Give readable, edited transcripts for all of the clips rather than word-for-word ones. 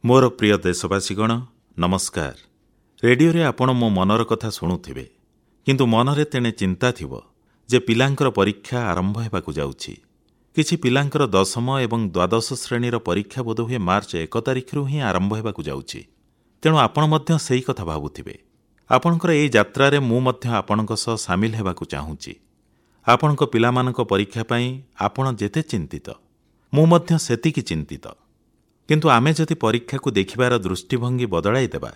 ମୋର ପ୍ରିୟ ଦେଶବାସୀଗଣ, ନମସ୍କାର। ରେଡ଼ିଓରେ ଆପଣ ମୋ ମନର କଥା ଶୁଣୁଥିବେ, କିନ୍ତୁ ମନରେ ତେଣେ ଚିନ୍ତା ଥିବ ଯେ ପିଲାଙ୍କର ପରୀକ୍ଷା ଆରମ୍ଭ ହେବାକୁ ଯାଉଛି। କିଛି ପିଲାଙ୍କର ଦଶମ ଏବଂ ଦ୍ୱାଦଶ ଶ୍ରେଣୀର ପରୀକ୍ଷା ବୋଧହୁଏ ମାର୍ଚ୍ଚ 1 ତାରିଖରୁ ହିଁ ଆରମ୍ଭ ହେବାକୁ ଯାଉଛି। ତେଣୁ ଆପଣ ମଧ୍ୟ ସେହି କଥା ଭାବୁଥିବେ। ଆପଣଙ୍କର ଏହି ଯାତ୍ରାରେ ମୁଁ ମଧ୍ୟ ଆପଣଙ୍କ ସହ ସାମିଲ ହେବାକୁ ଚାହୁଁଛି। ଆପଣଙ୍କ ପିଲାମାନଙ୍କ ପରୀକ୍ଷା ପାଇଁ ଆପଣ ଯେତେ ଚିନ୍ତିତ, ମୁଁ ମଧ୍ୟ ସେତିକି ଚିନ୍ତିତ। କିନ୍ତୁ ଆମେ ଯଦି ପରୀକ୍ଷାକୁ ଦେଖିବାର ଦୃଷ୍ଟିଭଙ୍ଗୀ ବଦଳାଇ ଦେବା,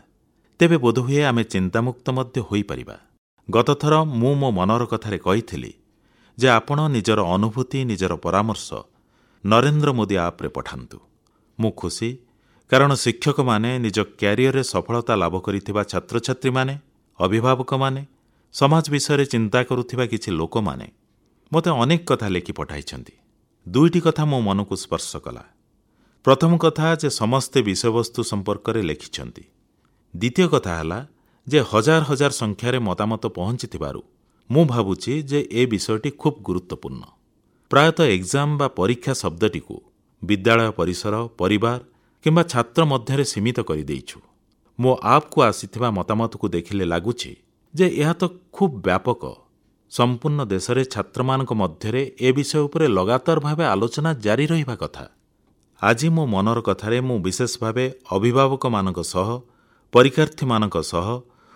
ତେବେ ବୋଧହୁଏ ଆମେ ଚିନ୍ତାମୁକ୍ତ ମଧ୍ୟ ହୋଇପାରିବା। ଗତଥର ମୁଁ ମୋ ମନର କଥାରେ କହିଥିଲି ଯେ ଆପଣ ନିଜର ଅନୁଭୂତି, ନିଜର ପରାମର୍ଶ ନରେନ୍ଦ୍ର ମୋଦି ଆପ୍ରେ ପଠାନ୍ତୁ। ମୁଁ ଖୁସି, କାରଣ ଶିକ୍ଷକମାନେ, ନିଜ କ୍ୟାରିୟରରେ ସଫଳତା ଲାଭ କରିଥିବା ଛାତ୍ରଛାତ୍ରୀମାନେ, ଅଭିଭାବକମାନେ, ସମାଜ ବିଷୟରେ ଚିନ୍ତା କରୁଥିବା କିଛି ଲୋକମାନେ ମୋତେ ଅନେକ କଥା ଲେଖି ପଠାଇଛନ୍ତି। ଦୁଇଟି କଥା ମୋ ମନକୁ ସ୍ପର୍ଶ କଲା। ପ୍ରଥମ କଥା ଯେ ସମସ୍ତେ ବିଷୟବସ୍ତୁ ସମ୍ପର୍କରେ ଲେଖିଛନ୍ତି। ଦ୍ୱିତୀୟ କଥା ହେଲା ଯେ ହଜାର ହଜାର ସଂଖ୍ୟାରେ ମତାମତ ପହଞ୍ଚିଥିବାରୁ ମୁଁ ଭାବୁଛି ଯେ ଏ ବିଷୟଟି ଖୁବ୍ ଗୁରୁତ୍ୱପୂର୍ଣ୍ଣ। ପ୍ରାୟତଃ ଏକ୍ଜାମ୍ ବା ପରୀକ୍ଷା ଶବ୍ଦଟିକୁ ବିଦ୍ୟାଳୟ ପରିସର, ପରିବାର କିମ୍ବା ଛାତ୍ର ମଧ୍ୟରେ ସୀମିତ କରିଦେଇଛୁ। ମୋ ଆପ୍କୁ ଆସିଥିବା ମତାମତକୁ ଦେଖିଲେ ଲାଗୁଛି ଯେ ଏହା ତ ଖୁବ୍ ବ୍ୟାପକ। ସମ୍ପୂର୍ଣ୍ଣ ଦେଶରେ ଛାତ୍ରମାନଙ୍କ ମଧ୍ୟରେ ଏ ବିଷୟ ଉପରେ ଲଗାତାର ଭାବେ ଆଲୋଚନା ଜାରି ରହିବା କଥା। ଆଜି ମୋ ମନର କଥାରେ ମୁଁ ବିଶେଷ ଭାବେ ଅଭିଭାବକମାନଙ୍କ ସହ, ପରୀକ୍ଷାର୍ଥୀମାନଙ୍କ ସହ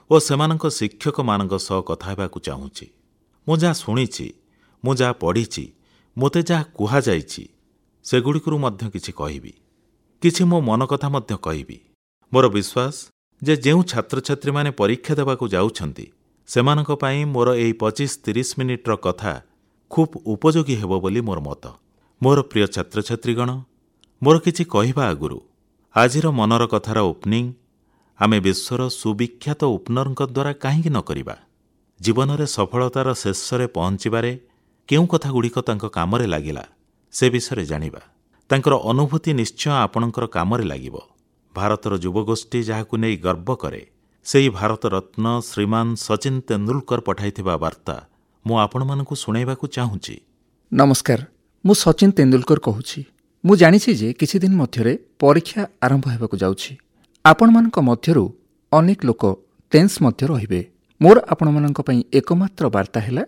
ଓ ସେମାନଙ୍କ ଶିକ୍ଷକମାନଙ୍କ ସହ କଥା ହେବାକୁ ଚାହୁଁଛି। ମୁଁ ଯାହା ଶୁଣିଛି, ମୁଁ ଯାହା ପଢ଼ିଛି, ମୋତେ ଯାହା କୁହାଯାଇଛି, ସେଗୁଡ଼ିକରୁ ମଧ୍ୟ କିଛି କହିବି। କିଛି ମୋ ମନ କଥା ମଧ୍ୟ କହିବି। ମୋର ବିଶ୍ୱାସ ଯେ ଯେଉଁ ଛାତ୍ରଛାତ୍ରୀମାନେ ପରୀକ୍ଷା ଦେବାକୁ ଯାଉଛନ୍ତି, ସେମାନଙ୍କ ପାଇଁ ମୋର ଏହି 25-30 ମିନିଟ୍ର କଥା ଖୁବ୍ ଉପଯୋଗୀ ହେବ ବୋଲି ମୋର ମତ। ମୋର ପ୍ରିୟ ଛାତ୍ରଛାତ୍ରୀଗଣ, ମୋର କିଛି କହିବା ଆଗରୁ ଆଜିର ମନର କଥାର ଓପନିଂ ଆମେ ବିଶ୍ୱର ସୁବିଖ୍ୟାତ ଓପନରଙ୍କ ଦ୍ୱାରା କାହିଁକି ନ କରିବା? ଜୀବନରେ ସଫଳତାର ଶେଷରେ ପହଞ୍ଚିବାରେ କେଉଁ କଥାଗୁଡ଼ିକ ତାଙ୍କ କାମରେ ଲାଗିଲା ସେ ବିଷୟରେ ଜାଣିବା। ତାଙ୍କର ଅନୁଭୂତି ନିଶ୍ଚୟ ଆପଣଙ୍କର କାମରେ ଲାଗିବ। ଭାରତର ଯୁବଗୋଷ୍ଠୀ ଯାହାକୁ ନେଇ ଗର୍ବ କରେ, ସେହି ଭାରତରତ୍ନ ଶ୍ରୀମାନ ସଚିନ ତେନ୍ଦୁଲକର ପଠାଇଥିବା ବାର୍ତ୍ତା ମୁଁ ଆପଣମାନଙ୍କୁ ଶୁଣାଇବାକୁ ଚାହୁଁଛି। ନମସ୍କାର, ମୁଁ ସଚିନ ତେନ୍ଦୁଲକର କହୁଛି। ମୁଁ ଜାଣିଛି ଯେ କିଛି ଦିନ ମଧ୍ୟରେ ପରୀକ୍ଷା ଆରମ୍ଭ ହେବାକୁ ଯାଉଛି। ଆପଣମାନଙ୍କ ମଧ୍ୟରୁ ଅନେକ ଲୋକ ଟେନ୍ସ ମଧ୍ୟ ରହିବେ। ମୋର ଆପଣମାନଙ୍କ ପାଇଁ ଏକମାତ୍ର ବାର୍ତ୍ତା ହେଲା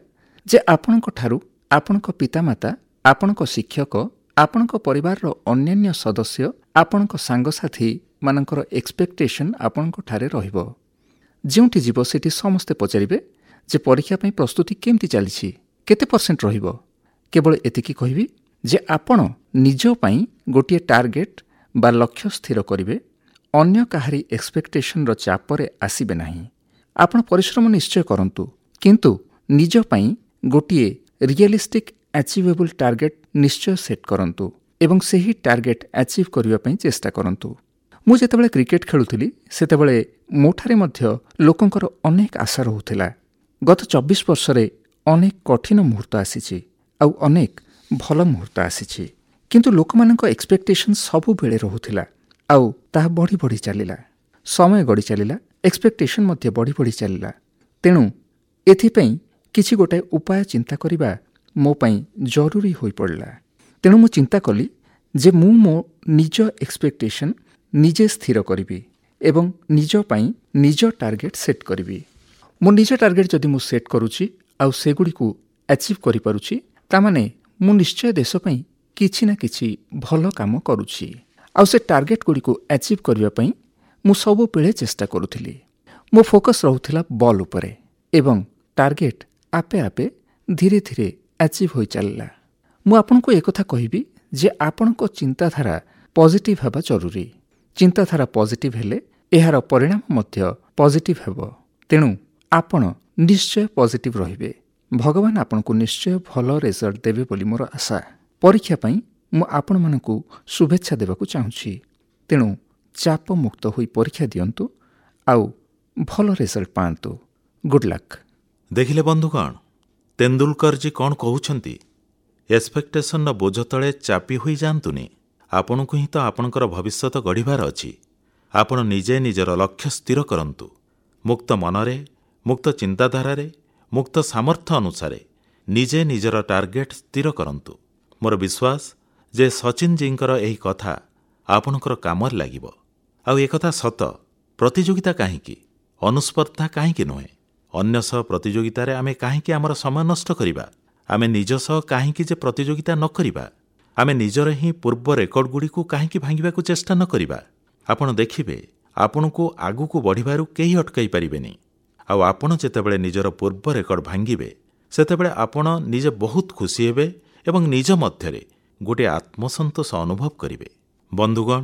ଯେ ଆପଣଙ୍କଠାରୁ ଆପଣଙ୍କ ପିତାମାତା, ଆପଣଙ୍କ ଶିକ୍ଷକ, ଆପଣଙ୍କ ପରିବାରର ଅନ୍ୟାନ୍ୟ ସଦସ୍ୟ, ଆପଣଙ୍କ ସାଙ୍ଗସାଥୀମାନଙ୍କର ଏକ୍ସପେକ୍ଟେସନ୍ ଆପଣଙ୍କଠାରେ ରହିବ। ଯେଉଁଠି ଯିବ ସେଠି ସମସ୍ତେ ପଚାରିବେ ଯେ ପରୀକ୍ଷା ପାଇଁ ପ୍ରସ୍ତୁତି କେମିତି ଚାଲିଛି, କେତେ ପରସେଣ୍ଟ ରହିବ। କେବଳ ଏତିକି କହିବି ଯେ ଆପଣ ନିଜ ପାଇଁ ଗୋଟିଏ ଟାର୍ଗେଟ୍ ବା ଲକ୍ଷ୍ୟ ସ୍ଥିର କରିବେ, ଅନ୍ୟ କାହାରି ଏକ୍ସପେକ୍ଟେସନ୍ର ଚାପରେ ଆସିବେ ନାହିଁ। ଆପଣ ପରିଶ୍ରମ ନିଶ୍ଚୟ କରନ୍ତୁ, କିନ୍ତୁ ନିଜ ପାଇଁ ଗୋଟିଏ ରିଏଲିଷ୍ଟିକ୍ ଆଚିଭେବୁଲ୍ ଟାର୍ଗେଟ୍ ନିଶ୍ଚୟ ସେଟ୍ କରନ୍ତୁ ଏବଂ ସେହି ଟାର୍ଗେଟ୍ ଆଚିଭ୍ କରିବା ପାଇଁ ଚେଷ୍ଟା କରନ୍ତୁ। ମୁଁ ଯେତେବେଳେ କ୍ରିକେଟ୍ ଖେଳୁଥିଲି, ସେତେବେଳେ ମୋଠାରେ ମଧ୍ୟ ଲୋକଙ୍କର ଅନେକ ଆଶା ରହୁଥିଲା। ଗତ 24 ବର୍ଷରେ ଅନେକ କଠିନ ମୁହୂର୍ତ୍ତ ଆସିଛି ଆଉ ଅନେକ ଭଲ ମୁହୂର୍ତ୍ତ ଆସିଛି, କିନ୍ତୁ ଲୋକମାନଙ୍କ ଏକ୍ସପେକ୍ଟେସନ୍ ସବୁବେଳେ ରହୁଥିଲା ଆଉ ତାହା ବଢ଼ି ବଢ଼ି ଚାଲିଲା। ସମୟ ଗଡ଼ି ଚାଲିଲା, ଏକ୍ସପେକ୍ଟେସନ୍ ମଧ୍ୟ ବଢ଼ି ବଢ଼ି ଚାଲିଲା। ତେଣୁ ଏଥିପାଇଁ କିଛି ଗୋଟାଏ ଉପାୟ ଚିନ୍ତା କରିବା ମୋ ପାଇଁ ଜରୁରୀ ହୋଇପଡ଼ିଲା। ତେଣୁ ମୁଁ ଚିନ୍ତା କଲି ଯେ ମୁଁ ମୋ ନିଜ ଏକ୍ସପେକ୍ଟେସନ୍ ନିଜେ ସ୍ଥିର କରିବି ଏବଂ ନିଜ ପାଇଁ ନିଜ ଟାର୍ଗେଟ୍ ସେଟ୍ କରିବି। ମୋ ନିଜ ଟାର୍ଗେଟ୍ ଯଦି ମୁଁ ସେଟ୍ କରୁଛି ଆଉ ସେଗୁଡ଼ିକୁ ଆଚିଭ୍ କରିପାରୁଛି, ତାମାନେ ମୁଁ ନିଶ୍ଚୟ ଦେଶ ପାଇଁ କିଛି ନା କିଛି ଭଲ କାମ କରୁଛି। ଆଉ ସେ ଟାର୍ଗେଟ୍ଗୁଡ଼ିକୁ ଆଚିଭ୍ କରିବା ପାଇଁ ମୁଁ ସବୁବେଳେ ଚେଷ୍ଟା କରୁଥିଲି। ମୋ ଫୋକସ୍ ରହୁଥିଲା ବଲ୍ ଉପରେ ଏବଂ ଟାର୍ଗେଟ୍ ଆପେ ଆପେ ଧୀରେ ଧୀରେ ଆଚିଭ୍ ହୋଇ ଚାଲିଲା। ମୁଁ ଆପଣଙ୍କୁ ଏକଥା କହିବି ଯେ ଆପଣଙ୍କ ଚିନ୍ତାଧାରା ପଜିଟିଭ୍ ହେବା ଜରୁରୀ। ଚିନ୍ତାଧାରା ପଜିଟିଭ୍ ହେଲେ ଏହାର ପରିଣାମ ମଧ୍ୟ ପଜିଟିଭ୍ ହେବ। ତେଣୁ ଆପଣ ନିଶ୍ଚୟ ପଜିଟିଭ୍ ରହିବେ। ଭଗବାନ ଆପଣଙ୍କୁ ନିଶ୍ଚୟ ଭଲ ରେଜଲ୍ଟ ଦେବେ ବୋଲି ମୋର ଆଶା। ପରୀକ୍ଷା ପାଇଁ ମୁଁ ଆପଣମାନଙ୍କୁ ଶୁଭେଚ୍ଛା ଦେବାକୁ ଚାହୁଁଛି। ତେଣୁ ଚାପମୁକ୍ତ ହୋଇ ପରୀକ୍ଷା ଦିଅନ୍ତୁ ଆଉ ଭଲ ରେଜଲ୍ଟ ପାଆନ୍ତୁ। Good luck. ଦେଖିଲେ ବନ୍ଧୁଗଣ, ତେନ୍ଦୁଲକରଜୀ କ'ଣ କହୁଛନ୍ତି? ଏକ୍ସପେକ୍ଟେସନର ବୋଝ ତଳେ ଚାପି ହୋଇଯାଆନ୍ତୁନି। ଆପଣଙ୍କୁ ହିଁ ତ ଆପଣଙ୍କର ଭବିଷ୍ୟତ ଗଢ଼ିବାର ଅଛି। ଆପଣ ନିଜେ ନିଜର ଲକ୍ଷ୍ୟ ସ୍ଥିର କରନ୍ତୁ। ମୁକ୍ତ ମନରେ, ମୁକ୍ତ ଚିନ୍ତାଧାରାରେ, ମୁକ୍ତ ସାମର୍ଥ୍ୟ ଅନୁସାରେ ନିଜେ ନିଜର ଟାର୍ଗେଟ୍ ସ୍ଥିର କରନ୍ତୁ। ମୋର ବିଶ୍ୱାସ ଯେ ସଚିନଜୀଙ୍କର ଏହି କଥା ଆପଣଙ୍କର କାମରେ ଲାଗିବ। ଆଉ ଏକଥା ସତ, ପ୍ରତିଯୋଗିତା କାହିଁକି, ଅନୁସ୍ପର୍ଦ୍ଧା କାହିଁକି ନୁହେଁ? ଅନ୍ୟ ସହ ପ୍ରତିଯୋଗିତାରେ ଆମେ କାହିଁକି ଆମର ସମୟ ନଷ୍ଟ କରିବା? ଆମେ ନିଜ ସହ କାହିଁକି ଯେ ପ୍ରତିଯୋଗିତା ନ କରିବା? ଆମେ ନିଜର ହିଁ ପୂର୍ବ ରେକର୍ଡଗୁଡ଼ିକୁ କାହିଁକି ଭାଙ୍ଗିବାକୁ ଚେଷ୍ଟା ନ କରିବା? ଆପଣ ଦେଖିବେ, ଆପଣଙ୍କୁ ଆଗକୁ ବଢ଼ିବାରୁ କେହି ଅଟକାଇ ପାରିବେନି। ଆଉ ଆପଣ ଯେତେବେଳେ ନିଜର ପୂର୍ବ ରେକର୍ଡ ଭାଙ୍ଗିବେ, ସେତେବେଳେ ଆପଣ ନିଜେ ବହୁତ ଖୁସି ହେବେ ଏବଂ ନିଜ ମଧ୍ୟରେ ଗୋଟିଏ ଆତ୍ମସନ୍ତୋଷ ଅନୁଭବ କରିବେ। ବନ୍ଧୁଗଣ,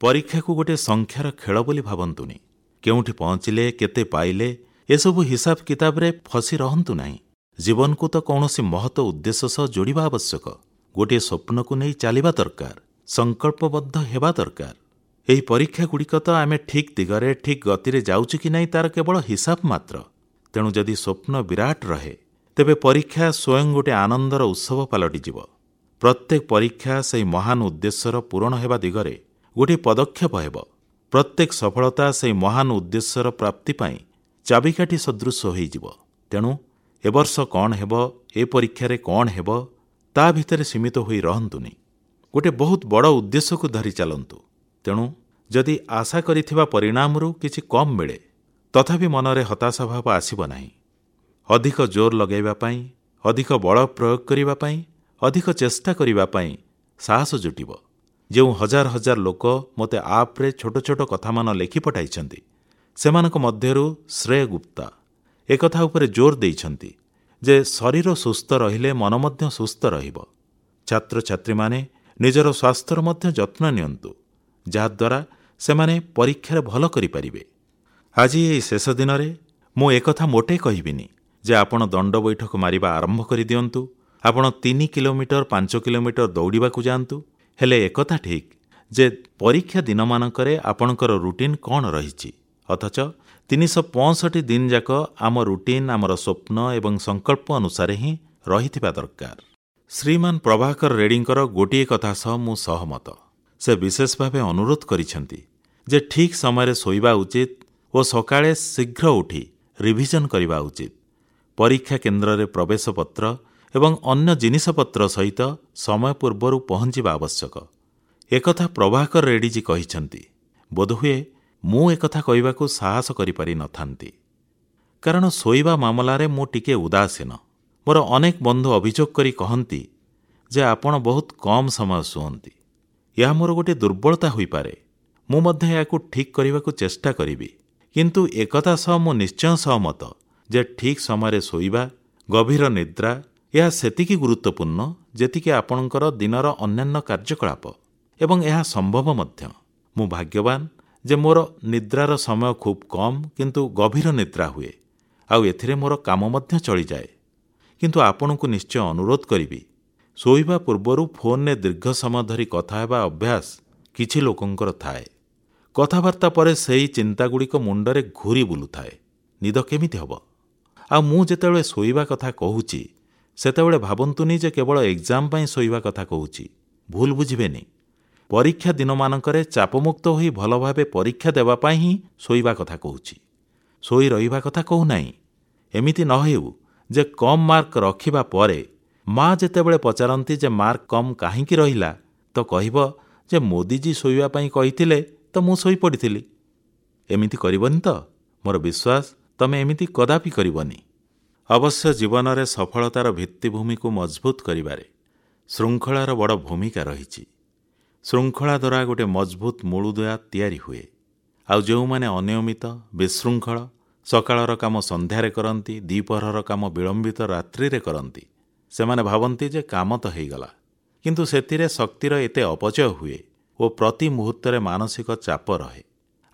ପରୀକ୍ଷାକୁ ଗୋଟିଏ ସଂଖ୍ୟାର ଖେଳ ବୋଲି ଭାବନ୍ତୁନି। କେଉଁଠି ପହଞ୍ଚିଲେ, କେତେ ପାଇଲେ, ଏସବୁ ହିସାବ କିତାବରେ ଫସି ରହନ୍ତୁ ନାହିଁ। ଜୀବନକୁ ତ କୌଣସି ମହତ ଉଦ୍ଦେଶ୍ୟ ସହ ଯୋଡ଼ିବା ଆବଶ୍ୟକ। ଗୋଟିଏ ସ୍ୱପ୍ନକୁ ନେଇ ଚାଲିବା ଦରକାର, ସଂକଳ୍ପବଦ୍ଧ ହେବା ଦରକାର। ଏହି ପରୀକ୍ଷାଗୁଡ଼ିକ ତ ଆମେ ଠିକ୍ ଦିଗରେ, ଠିକ୍ ଗତିରେ ଯାଉଛୁ କି ନାହିଁ ତାର କେବଳ ହିସାବ ମାତ୍ର। ତେଣୁ ଯଦି ସ୍ୱପ୍ନ ବିରାଟ ରହେ, ତେବେ ପରୀକ୍ଷା ସ୍ୱୟଂ ଗୋଟିଏ ଆନନ୍ଦର ଉତ୍ସବ ପାଲଟିଯିବ। ପ୍ରତ୍ୟେକ ପରୀକ୍ଷା ସେହି ମହାନ ଉଦ୍ଦେଶ୍ୟର ପୂରଣ ହେବା ଦିଗରେ ଗୋଟିଏ ପଦକ୍ଷେପ ହେବ। ପ୍ରତ୍ୟେକ ସଫଳତା ସେହି ମହାନ ଉଦ୍ଦେଶ୍ୟର ପ୍ରାପ୍ତି ପାଇଁ ଚାବିକାଠି ସଦୃଶ ହୋଇଯିବ। ତେଣୁ ଏ ବର୍ଷ କ'ଣ ହେବ, ଏ ପରୀକ୍ଷାରେ କ'ଣ ହେବ, ତା ଭିତରେ ସୀମିତ ହୋଇ ରହନ୍ତୁନି। ଗୋଟିଏ ବହୁତ ବଡ଼ ଉଦ୍ଦେଶ୍ୟକୁ ଧରି ଚାଲନ୍ତୁ। ତେଣୁ ଯଦି ଆଶା କରିଥିବା ପରିଣାମରୁ କିଛି କମ୍ ମିଳେ, ତଥାପି ମନରେ ହତାଶା ଭାବ ଆସିବ ନାହିଁ। ଅଧିକ ଜୋର ଲଗାଇବା ପାଇଁ, ଅଧିକ ବଳ ପ୍ରୟୋଗ କରିବା ପାଇଁ, ଅଧିକ ଚେଷ୍ଟା କରିବା ପାଇଁ ସାହସ ଜୁଟିବ। ଯେଉଁ ହଜାର ହଜାର ଲୋକ ମୋତେ ଆପ୍ରେ ଛୋଟ ଛୋଟ କଥାମାନ ଲେଖି ପଠାଇଛନ୍ତି, ସେମାନଙ୍କ ମଧ୍ୟରୁ ଶ୍ରେୟ ଗୁପ୍ତା ଏକଥା ଉପରେ ଜୋର ଦେଇଛନ୍ତି ଯେ ଶରୀର ସୁସ୍ଥ ରହିଲେ ମନ ମଧ୍ୟ ସୁସ୍ଥ ରହିବ। ଛାତ୍ରଛାତ୍ରୀମାନେ ନିଜର ସ୍ୱାସ୍ଥ୍ୟର ମଧ୍ୟ ଯତ୍ନ ନିଅନ୍ତୁ, ଯାହାଦ୍ୱାରା ସେମାନେ ପରୀକ୍ଷାରେ ଭଲ କରିପାରିବେ। ଆଜି ଏହି ଶେଷ ଦିନରେ ମୁଁ ଏକଥା ମୋଟେ କହିବିନି ଯେ ଆପଣ ଦଣ୍ଡ ବୈଠକ ମାରିବା ଆରମ୍ଭ କରିଦିଅନ୍ତୁ, ଆପଣ 3 କିଲୋମିଟର 5 କିଲୋମିଟର ଦୌଡ଼ିବାକୁ ଯାଆନ୍ତୁ। ହେଲେ ଏକଥା ଠିକ୍ ଯେ ପରୀକ୍ଷା ଦିନମାନଙ୍କରେ ଆପଣଙ୍କର ରୁଟିନ୍ କ'ଣ ରହିଛି, ଅଥଚ 365 ଦିନ ଯାକ ଆମ ରୁଟିନ୍ ଆମର ସ୍ୱପ୍ନ ଏବଂ ସଂକଳ୍ପ ଅନୁସାରେ ହିଁ ରହିଥିବା ଦରକାର। ଶ୍ରୀମାନ ପ୍ରଭାକର ରେଡ୍ଡୀଙ୍କର ଗୋଟିଏ କଥା ସହ ମୁଁ ସହମତ। ସେ ବିଶେଷ ଭାବେ ଅନୁରୋଧ କରିଛନ୍ତି ଯେ ଠିକ୍ ସମୟରେ ଶୋଇବା ଉଚିତ ଓ ସକାଳେ ଶୀଘ୍ର ଉଠି ରିଭିଜନ୍ କରିବା ଉଚିତ। ପରୀକ୍ଷା କେନ୍ଦ୍ରରେ ପ୍ରବେଶ ପତ୍ର ଏବଂ ଅନ୍ୟ ଜିନିଷପତ୍ର ସହିତ ସମୟ ପୂର୍ବରୁ ପହଞ୍ଚିବା ଆବଶ୍ୟକ। ଏକଥା ପ୍ରଭାକର ରେଡ୍ଡୀଜୀ କହିଛନ୍ତି। ବୋଧହୁଏ ମୁଁ ଏକଥା କହିବାକୁ ସାହସ କରିପାରିନଥାନ୍ତି, କାରଣ ଶୋଇବା ମାମଲାରେ ମୁଁ ଟିକିଏ ଉଦାସୀନ। ମୋର ଅନେକ ବନ୍ଧୁ ଅଭିଯୋଗ କରି କହନ୍ତି ଯେ ଆପଣ ବହୁତ କମ୍ ସମୟ ଶୁଅନ୍ତି। ଏହା ମୋର ଗୋଟିଏ ଦୁର୍ବଳତା ହୋଇପାରେ। ମୁଁ ମଧ୍ୟ ଏହାକୁ ଠିକ୍ କରିବାକୁ ଚେଷ୍ଟା କରିବି। କିନ୍ତୁ ଏକଥା ସହ ମୁଁ ନିଶ୍ଚୟ ସହମତ ଯେ ଠିକ୍ ସମୟରେ ଶୋଇବା, ଗଭୀର ନିଦ୍ରା, ଏହା ସେତିକି ଗୁରୁତ୍ୱପୂର୍ଣ୍ଣ ଯେତିକି ଆପଣଙ୍କର ଦିନର ଅନ୍ୟାନ୍ୟ କାର୍ଯ୍ୟକଳାପ, ଏବଂ ଏହା ସମ୍ଭବ ମଧ୍ୟ। ମୁଁ ଭାଗ୍ୟବାନ ଯେ ମୋର ନିଦ୍ରାର ସମୟ ଖୁବ୍ କମ୍, କିନ୍ତୁ ଗଭୀର ନିଦ୍ରା ହୁଏ, ଆଉ ଏଥିରେ ମୋର କାମ ମଧ୍ୟ ଚଳିଯାଏ। କିନ୍ତୁ ଆପଣଙ୍କୁ ନିଶ୍ଚୟ ଅନୁରୋଧ କରିବି, ଶୋଇବା ପୂର୍ବରୁ ଫୋନ୍ରେ ଦୀର୍ଘ ସମୟ ଧରି କଥା ହେବା ଅଭ୍ୟାସ କିଛି ଲୋକଙ୍କର ଥାଏ। କଥାବାର୍ତ୍ତା ପରେ ସେହି ଚିନ୍ତାଗୁଡ଼ିକ ମୁଣ୍ଡରେ ଘୁରି ବୁଲୁଥାଏ। ନିଦ କେମିତି ହେବ? ଆଉ ମୁଁ ଯେତେବେଳେ ଶୋଇବା କଥା କହୁଛି, ସେତେବେଳେ ଭାବନ୍ତୁନି ଯେ କେବଳ ଏକ୍ଜାମ୍ ପାଇଁ ଶୋଇବା କଥା କହୁଛି। ଭୁଲ ବୁଝିବେନି। ପରୀକ୍ଷା ଦିନମାନଙ୍କରେ ଚାପମୁକ୍ତ ହୋଇ ଭଲ ଭାବେ ପରୀକ୍ଷା ଦେବା ପାଇଁ ହିଁ ଶୋଇବା କଥା କହୁଛି, ଶୋଇ ରହିବା କଥା କହୁନାହିଁ। ଏମିତି ନ ହେଉ ଯେ କମ୍ ମାର୍କ ରଖିବା ପରେ ମା ଯେତେବେଳେ ପଚାରନ୍ତି ଯେ ମାର୍କ କମ୍ କାହିଁକି ରହିଲା, ତ କହିବ ଯେ ମୋଦିଜୀ ଶୋଇବା ପାଇଁ କହିଥିଲେ ତ ମୁଁ ଶୋଇପଡ଼ିଥିଲି। ଏମିତି କରିବନି ତ? ମୋର ବିଶ୍ୱାସ ତମେ ଏମିତି କଦାପି କରିବନି। ଅବଶ୍ୟ ଜୀବନରେ ସଫଳତାର ଭିତ୍ତିଭୂମିକୁ ମଜବୁତ କରିବାରେ ଶୃଙ୍ଖଳାର ବଡ଼ ଭୂମିକା ରହିଛି। ଶୃଙ୍ଖଳା ଦ୍ୱାରା ଗୋଟିଏ ମଜବୁତ ମୂଳଦୁଆ ତିଆରି ହୁଏ। ଆଉ ଯେଉଁମାନେ ଅନିୟମିତ, ବିଶୃଙ୍ଖଳ, ସକାଳର କାମ ସନ୍ଧ୍ୟାରେ କରନ୍ତି, ଦ୍ୱିପହରର କାମ ବିଳମ୍ବିତ ରାତ୍ରିରେ କରନ୍ତି, ସେମାନେ ଭାବନ୍ତି ଯେ କାମ ତ ହେଇଗଲା, କିନ୍ତୁ ସେଥିରେ ଶକ୍ତିର ଏତେ ଅପଚୟ ହୁଏ ଓ ପ୍ରତି ମୁହୂର୍ତ୍ତରେ ମାନସିକ ଚାପ ରହେ।